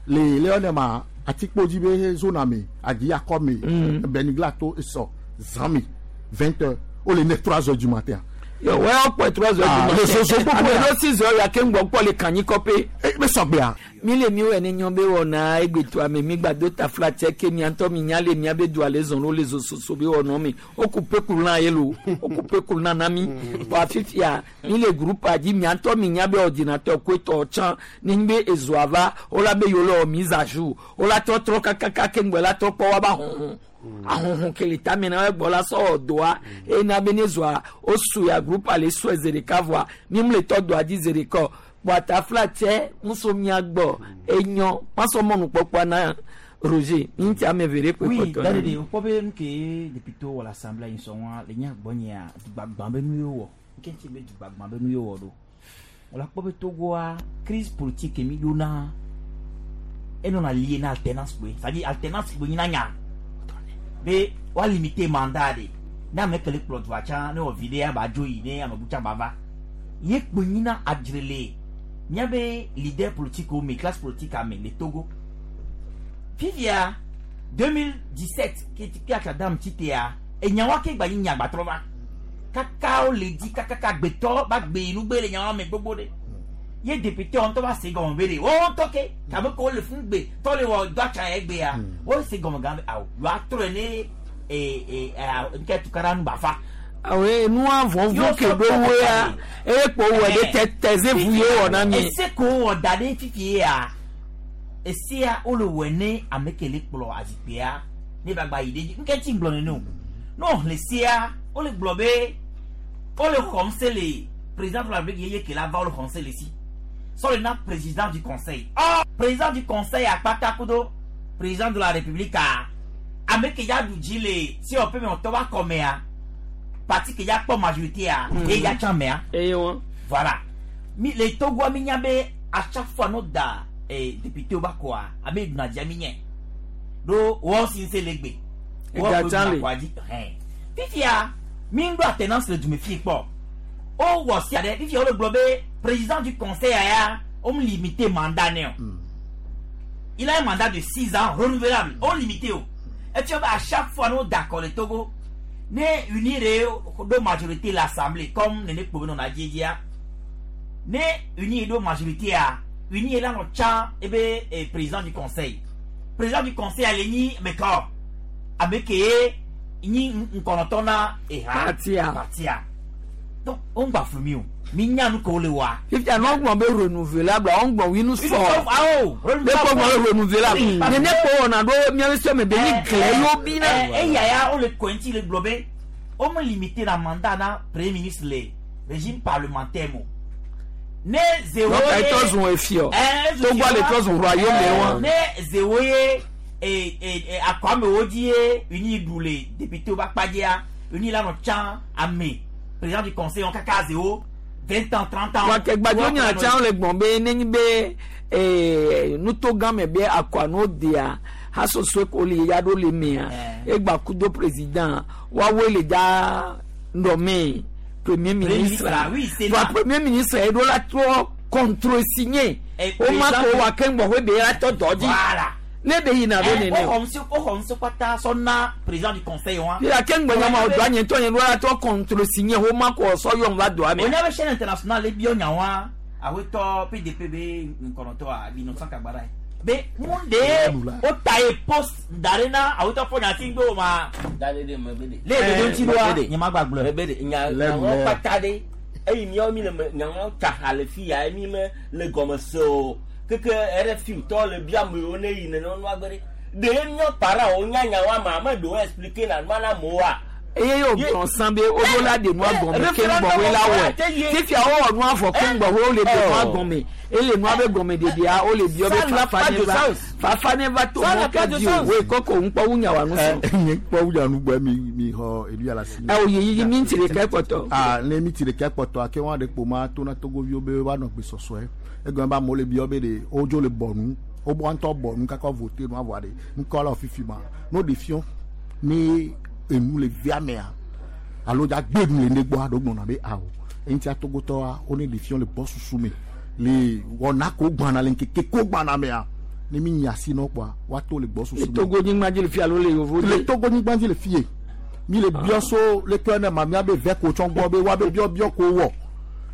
le le ma atikpo dzi be zone me adi akɔ me Benigla to esɔ zã me 20 heures o le ne 3 heures du matin. Yo wɛ ɔkpɔ 3 heures du matin. Le soso gbogbo Ame ya. ɖo 6 heures ya ke ŋgbɔ kpɔ le kanyi kɔpe. Be sɔgbea. Mi le mi wɔ ne nyɔ be wɔna egbeto ame mi gba do tafla tse ke mia ŋutɔ mi nya le mia be dua le zɔn lo le zososo be wɔnɔ mi. O ku peku lã ye lo. O ku peku lã na mi. Bɔn afifia mi le groupe dzi mia ŋutɔ mi nya be ordinateur koe tɔ tsã ne nyi be ezoa va o la be yewo le wɔ mise à jour. O la trɔtrɔ kakaka ke ŋgbɛ la trɔ kpɔ wa ba hɔhɔn. Ahohun kele tame na gbɔ la sɔ doa ena be ne zoa o su ya groupe ale sɔe zi ɖeka vɔa mi mu le tɔ doa dzi zi ɖeka bɔn atafla tsɛ ŋusɔ mia gbɔ enyɔ masɔ mɔnukpɔkpɔ na Roger mi ŋuti ame eve ɖe kpe Oui, kpɔtɔ dade de wokpɔ be nu ke député wɔ le assemblée yi sɔŋua le nye agbɔnyea dugbagbã be nu ye wɔ nke ŋuti be dugbagbã be nu ye wɔ ɖo wòle akpɔ be Togoa crise politique mi ɖona enɔna lié na alternance kpoe c'est à dire alternance kpoe nyina nya be woa limiter mandat de ne ame ke le kplɔ dua tsã ne wɔ vi ɖe aba dzo yi ne ame bu tsã ba va ye kpoe nyina adzre le míabe leader politique wo me classe politique ame le Togo fifia 2017 ke atsadam tsi tea enyawa ke gba nyi nyagbatrɔ va kaka wo le di kakaka gbetɔ ba gbe nugbe le nyawa me gbogbo ɖe ye député wɔn ŋutɔ va se gɔme be de wɔn ŋutɔ ke kabe ko wole fún gbe tɔ le wɔ do atsa yɛ gbea wo se gɔme gã be awo yɔ atrɔe ne ee ee nke tukara nu ba fa. Awo nua vɔvɔ ke ɖo woea eye kpo wɔ ɖe tɛtɛ ze vu ye wɔ na mi. Ese ko wɔ da ɖe fifi ya esia wole wɔ ne ame ke le kplɔ azikpuia ne ba gba yi ɖe dzi nke tsi gblɔ nene o ne wòxlẽ sia wole gblɔ be wole xɔm se le président de la République yeye ke la va wole xɔm se le si sɔ le na président du conseil or président du conseil akpata kudo président de la République a ame ke ya ɖu dzi le si wɔ ƒe me wòtɔ va kɔmea parti ke ya kpɔ majorité a eye ya tsã mea. Eye wɔn. Voilà mi le Togoa mi nya be à chaque fois no da député wo ba kɔa ame ɖuna dzia mi nye ɖo wɔn si se le gbe Ega tsã le. kɔa dzi hɛn fifia mi ŋu ɖo alternance le dume fi kpɔ o wɔ sia ɖe fifia wo le gblɔ be président du conseil ya o mu limité mandat nɛ o il a un mandat de 6 ans renouvelable o limité o efia be à chaque fois no da kɔ le Togo ne unir ɖo majorité l'assemblée comme nene kpo be nɔna dziedzia ne unir ɖo majorité a unir la nɔ tsã ebe président du conseil président du conseil ale nyi mekɔ ame ke ye nyi ŋkɔnɔtɔ na eha Partia. partia donc o ŋgba flu mi o mi nya nu ke wo le wa. Fifia n'o gbɔn be renouvelable o gbɔn wi nu sɔ. Awo Ne kpɔ gbɔn be renouvelable nene kpɔ wɔna ɖo miabe sɔ me be ni gle yewo bi na. Eya ya wo le kɔntsi le gblɔ be wo me limité na mandat na premier ministre le régime parlementaire mo ne zewo Donc ye etɔ zun efiɔ. Eh, Togo le trɔ zun royaume wa. ne zewo ye e e e akɔ amewo dzi ye uni ɖu le député wo ba kpadzia uni la nɔ tsã ame président du conseil wɔn kaka zewo 20 ans 30 ans. Wa ke gbadzo nya tsã le gbɔn be nenyi be nuto gã me be akɔa no dea hasoso ko le ya ɖo le mea egba kudo président woawoe le dza nɔme premier ministre ministre, oui, c'est wa là. premier ministre ye ɖo la trɔ contre-signé Eh, o ma président- ko wa ke ŋgbɔ be la tɔ dɔ dzi Voilà. ne be yina ɖo nene o o xɔ ŋusẽ kpata sɔ na président du conseil wa. yíyá ke ŋgbɔ nyama o do anyi tɔ nye ɖo la trɔ contre-signé o ma ko sɔ yɔm va doa me. Onya be chaîne internationale le biɔ nya wa awetɔ PDP be ŋkɔnɔtɔ a Innocent Kagbara ye. Be mun de o ta ye poste da ɖe na awetɔ fɔ nyati ŋgbe o ma. Dale de me be de. Le ɖoɖo ŋuti ɖoa Mebe de. nye ma gba gblɔe. Mebe de nya nyawo kpata ɖe eyi miawo mi le me nyawo tsa ha le fi ya mi me le gɔme se o keke RFI tɔ le bia amewo ne yi nene nua gbe ɖe ɖe miɔ para wo nya nyawo ama ame ɖewo explique na nua na amewoa. Eye yóò gbɔn san be wo la de nua gɔme ke ŋgbɔ la wɔe fifia wo wɔ nua vɔ ke ŋgbɔ wo le de nua gɔme ele nua be gɔme ɖeɖia wo le biɔ be Ça n'a fafa pas ne de va sens. fafa ne va to Ça n'a mɔ pas ke de di o sens. wo kɔkɔ ŋkpɔ wu nyawa nu sɔn. Nye kpɔ wu yanu gbɔ mi mi xɔ elu ya la si. Ɛ o yi yi mi ŋuti ɖeka kpɔtɔ. Ah ne mi ti ɖeka kpɔtɔ ake wɔn ɖe kpo ma to na togoviwo be woanɔ gbesɔsɔe egɔme be amewo le biɔ be ɖe wodzo le bɔ nu Wo ŋutɔ bɔ nu kaka vote nua vɔa ɖe ŋkɔ la fifi ma no ɖe fiɔ ne enu le via mea alo dza gbe nu le ne gbɔa ɖo gblɔna be awo eŋutia togotɔa wo ne ɖe fiɔ le gbɔ susu me le wɔna ko gbana le ŋkeke ko gbana mea ne mi nya si nɔ kpɔa woato le gbɔ susu le me. Togo nyigba dzi le fi alo le yovo le Togo nyigba dzi le fie mi le biɔ so le kpe ne ma mia be vɛ ko tsɔ gbɔ be wa be biɔ biɔ ko wɔ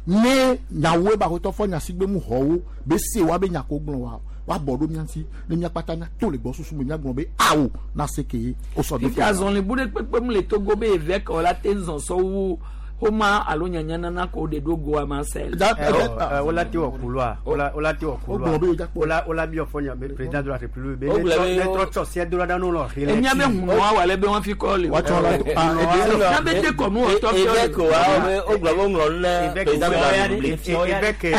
ne nyawoe ba xɔtɔ fɔ nyasigbe mu xɔwo be se wa be nya ko gblɔ wa wa bɔ ɖo mia ŋuti ne mia kpata mia to le gbɔ susu me mia gblɔ be awo na se ke ye o sɔ do Fifi azɔli bu ɖe kpekpe mu le Togo be eve ke la te zɔn sɔ wu xoma alo nyanyanana ko ɖe ɖo goa ma se. Wola te wɔ couloir wola te wɔ couloir wola wola bi ɔfɔ nya président de la république be ne trɔ tsɔ se do la ɖa n'o lɔ xelɛ. Enya be hunua wà lɛ be wọn fi kɔ le. Enya be te kɔnu ɔtɔ fiɔ le. Évêque wa wo gblɔ be woŋlɔ nu ne président de la république. Évêque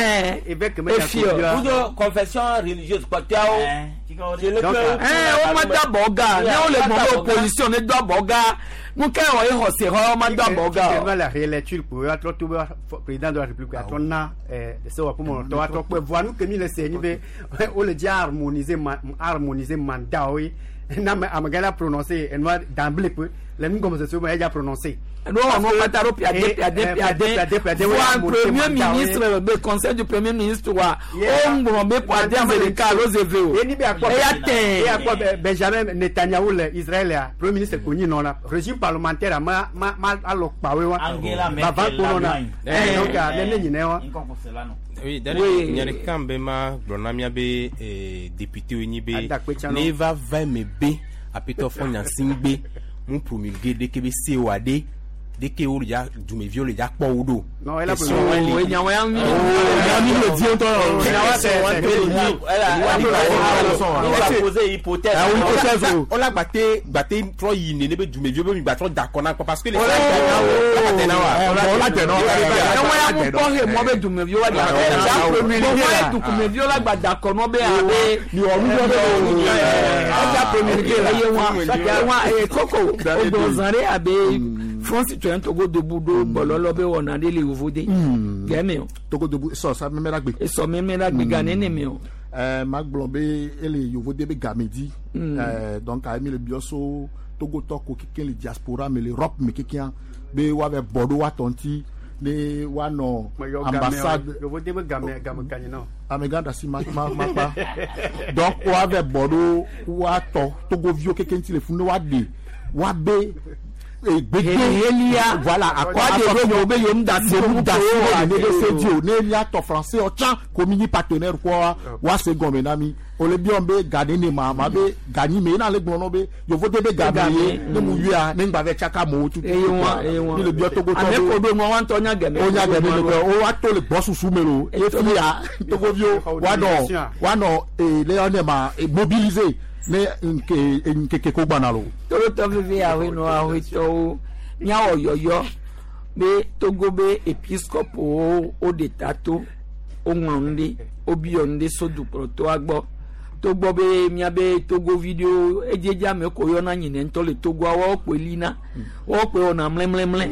évêque me Kudo confession religieuse kpɔtɔawo. Wo ma da bɔ ga ne wo le gbɔn be opposition ne do abɔ ga nu ke wɔ ye xɔse xɔ wo ma do abɔ ga o. la relecture pour atrɔ to be président de la république atrɔ na sewɔƒomɔtɔ atrɔ kpɛ voa nu ke mi le se nyi be wo le dzi harmoniser harmoniser mandat wo ye na ame amegã la prononcer enua d'emblée pe le nugɔmesese me edza prononcer. No wɔn kpata ɖo piade piade piade piade voa premier ministre be conseil du premier ministre wa o ŋlɔ be piade ame ɖeka alo zeve o eya tɛ. Eya kpɔ Benjamin Netanyahu le Israel ya premier ministre ko nyi nɔ la régime parlementaire ma ma ma alɔ kpawoe wa bava kponɔ na donc ne ne nyinɛ wa. Oui, d'ailleurs, nya ɖeka be ma gblɔ na mía be député wo nyi be ne va va eme be aƒetɔ fɔ nyasigbe mu promulguer ɖeke be se wa ɖe deke wo dza dumeviwo le dza kpɔ wo ɖo. Non, elle a Question wa li. Nyawo ya mi. mi le di ŋutɔ. poser hypothèse. Wola gbate gbate trɔ yi nene be dumeviwo be mi gba trɔ da kɔ na kpɔ parce que le. Wola tɛ na wa. Wola tɛ na wa. Nyawo ya mu kpɔ he mɔ be dumeviwo wa da kɔ. Bɔn wa dumeviwo la gba da kɔ nɔ be abe. Ɛdza promulguer la. Eye wa wa eye koko o gbɔ zan ɖe abe Front Citoyen Togo Debout ɖo bɔlɔlɔ be wɔna ɖe le yovo de. Gɛmɛ o. Togo Debout sɔ sa mɛmɛ la gbe. Esɔ mɛmɛ la gbe ga nene mɛ o. Ma gblɔ be ele yovo de be game dzi. Donc ayi mi le biɔ so Togotɔ ko keke le diaspora me le Europe me kekea be woave bɔ ɖo woatɔ ŋuti ne woanɔ ambassade. Yovo de be game game kanyi nɔ. Amegã ɖe asi ma ma ma kpa donc woave bɔ ɖo woatɔ Togoviwo keke ŋuti le funu ne woaɖe woabe gbegbe voilà akɔ akɔ de be yom da se yom da se o ne be se di o ne miatɔ français ɔtsã ko mi nyi partenaire kɔ wa se gɔme na mi o le biɔ be ga ne ne ma ma be ga nyi me yina le gblɔ nɔ be yovo de be ga me ye ne mu yia ne ŋgba vɛ tsaka amewo tutu mi le biɔ Togotɔ ame ko do ŋua wa ŋutɔ nya gɛmɛ o nya gɛmɛ le o wa to le gbɔsusu me lo efi ya Togoviwo wa nɔ wa nɔ le yɔ ne ma mobiliser ne nke nkeke ko gbana lo. Tolotɔ vivi ahenɔ ahetɔwo míawɔ yɔyɔ be Togo be episkopowo woɖe ta to woŋlɔ nu ɖe wobiɔ nu ɖe so dukplɔtɔa gbɔ togbɔ be míabe togovi ɖewo edzedze ame ko yɔna nyinɛ ŋutɔ le Togoa woawo kpoe lina woawo kpoe wɔna mlɛmlɛmlɛ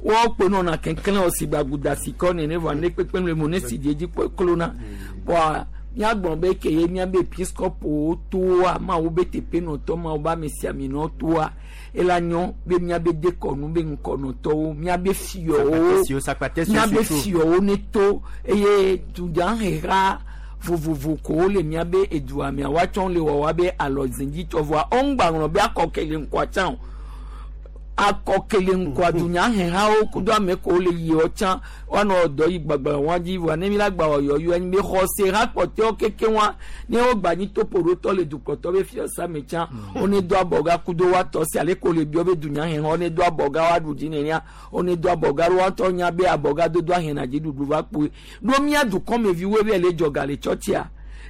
woawo kpoe nɔna keklẽ ɔsigbagudasikɔ nene vɔa ne kpekpe le mo ne si dzi edzi kpoe klona kpɔa míagblɔ be ke ye míabe episkopowo toa mawu be teƒenɔtɔ mawu be amesiaminɔ toa ela nyɔ be míabe dekɔnu be ŋkɔnɔtɔwo míabe fiɔwo míabe fiɔwo ne to eye dunyaheha vovovo kowo le míabe edua mea woatsɔ le wɔ woabe alɔzedzitsɔ vɔa ɔŋgba ŋlɔ be akɔkele ŋkɔa tsã o akɔkele ŋkɔa dunyahehawo kudo ame kowo le yiɔ tsã woanɔ dɔ yi gbagba wɔn dzi vɔa ne mi la gba wɔ yɔyɔ enyi be xɔse ha kpɔtɔewo keke wa ne wo gba nyi topo ɖo tɔ le dukplɔtɔ be fiɔsa me tsã wone do abɔga kudo woatɔ si ale ko le biɔ be dunyaheha wone do abɔga woaɖu dzi nenea wone do abɔga ɖo woatɔ nya be abɔga dodo ahena dziɖuɖu va kpoe ɖo mía dukɔmeviwoe be le dzɔga le tsɔtsia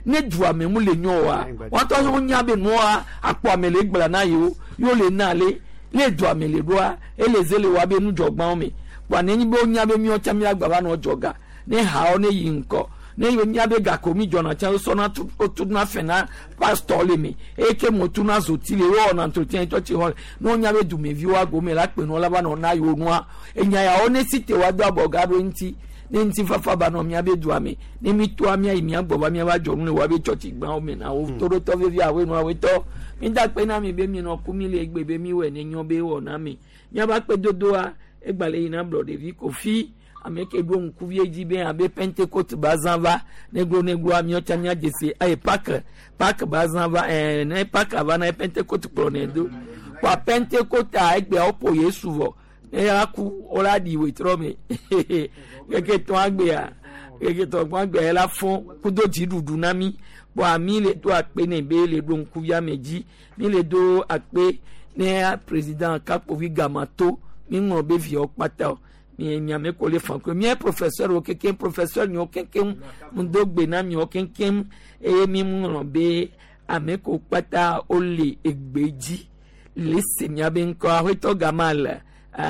ne dua me mu le nyɔ oa woatɔ wo nya be nua akpɔ ame le gblɔ na yewo yewo le na ale le dua me le ɖoa ele ze le wa be nudzɔgbawo me kpɔa nenyi be wonya be míawo tsã míagba va nɔ dzɔga ne hawo ne yi ŋkɔ ne míabe gako mi dzɔna tsã wosɔna wotuna fɛ na pastɔ le me eye ke mo tuna zoti le wowɔna entretien tsɔtsi xɔ le ne wonya be dumeviwo agome la kpe nɔ la va nɔ na yewo nua enya yawo ne si te wa do abɔga ɖo ŋuti Ne ŋutifafa ba nɔ míabe dua me. Ne mi toa mía yi mía gbɔ va míava dzɔ nu le woabe tsɔtsi gbãwo me na wo. Toɖotɔ vevi awoe nu awoe tɔ. Mi da kpe na mi be mi nɔ ku mi le egbe be mi wɔe ne nyɔ be wɔ na mi. Míava kpe dodoa egbalẽ yina blɔ ɖevi kofi ame ke ɖo ŋkuvi dzi be abe pentecote ba zã va neglo negloa míawo tsã míadze si eye pak pak ba zã va ɛɛ ne pak va na pentecote kplɔ ne do kpa pentecote egbea woƒo yesu vɔ ne ya ku wola ɖi wetrɔ me keke tɔn agbea keke tɔn agbea la fɔ kudo dziɖuɖu na mi kpɔa mi le do akpe ne be le ɖo ŋkuvia me dzi mi le do akpe ne président kakpovi gamato mi ŋlɔ be viawo kpata o mi miame ko le fan ko mía professeur wo kekem professeur nyiwo kekem ŋdo gbe na miwo kekem eye mi ŋlɔ be ame ko kpata wole egbe dzi le se miabe ŋkɔ aƒetɔ gama le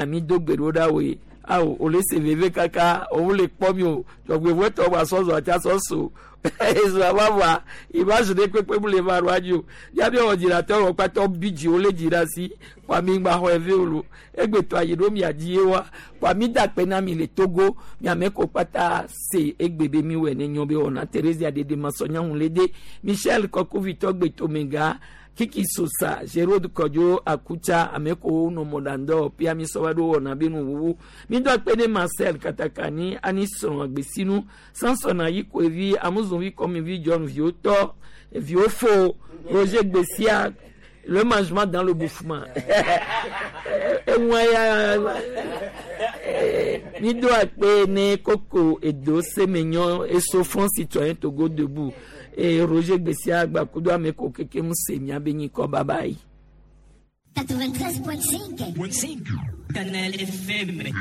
mi do gbe ɖo ɖa woe awo wòle se veve kaka òun le kpɔ mi o dzɔgbevɔtɔ wa sɔzɔ ati asɔ so ezu avava image ɖe kpekpe mu le va ɖo adzi o miabe ordinateur wɔ kpata bi dzi wole dzi ɖe asi kpa mi gba xɔ eve o egbetɔ ayi ɖo mia dzi ye wa kpa mi da kpe na mi le Togo miame ko kpata se egbe be mi wɔ ne nyɔ be wɔna Thérésia dede masɔnyaŋu le de Michel Kɔkuvitɔ gbetomega Kiki Sosa Gérard Kɔdzo Akutsa ame ko nɔ mɔɖaŋdɔ pia mi sɔ va ɖo wɔna be nuwuwu mi do akpe ne Marcel Katakani ani srɔ̃ agbesinu Samson Ayikoevi Amuzunvi Kɔmivi John viwo tɔ viwo fo Roger Gbesia le mangement dans le bouffement eŋua ya mi do akpe ne koko edo semenyɔ eso Front Citoyen Togo Debout et Roger Gbesia gbakudo ame ko keke mu se miabe nyikɔ bye bye. 93.5. Canal FM.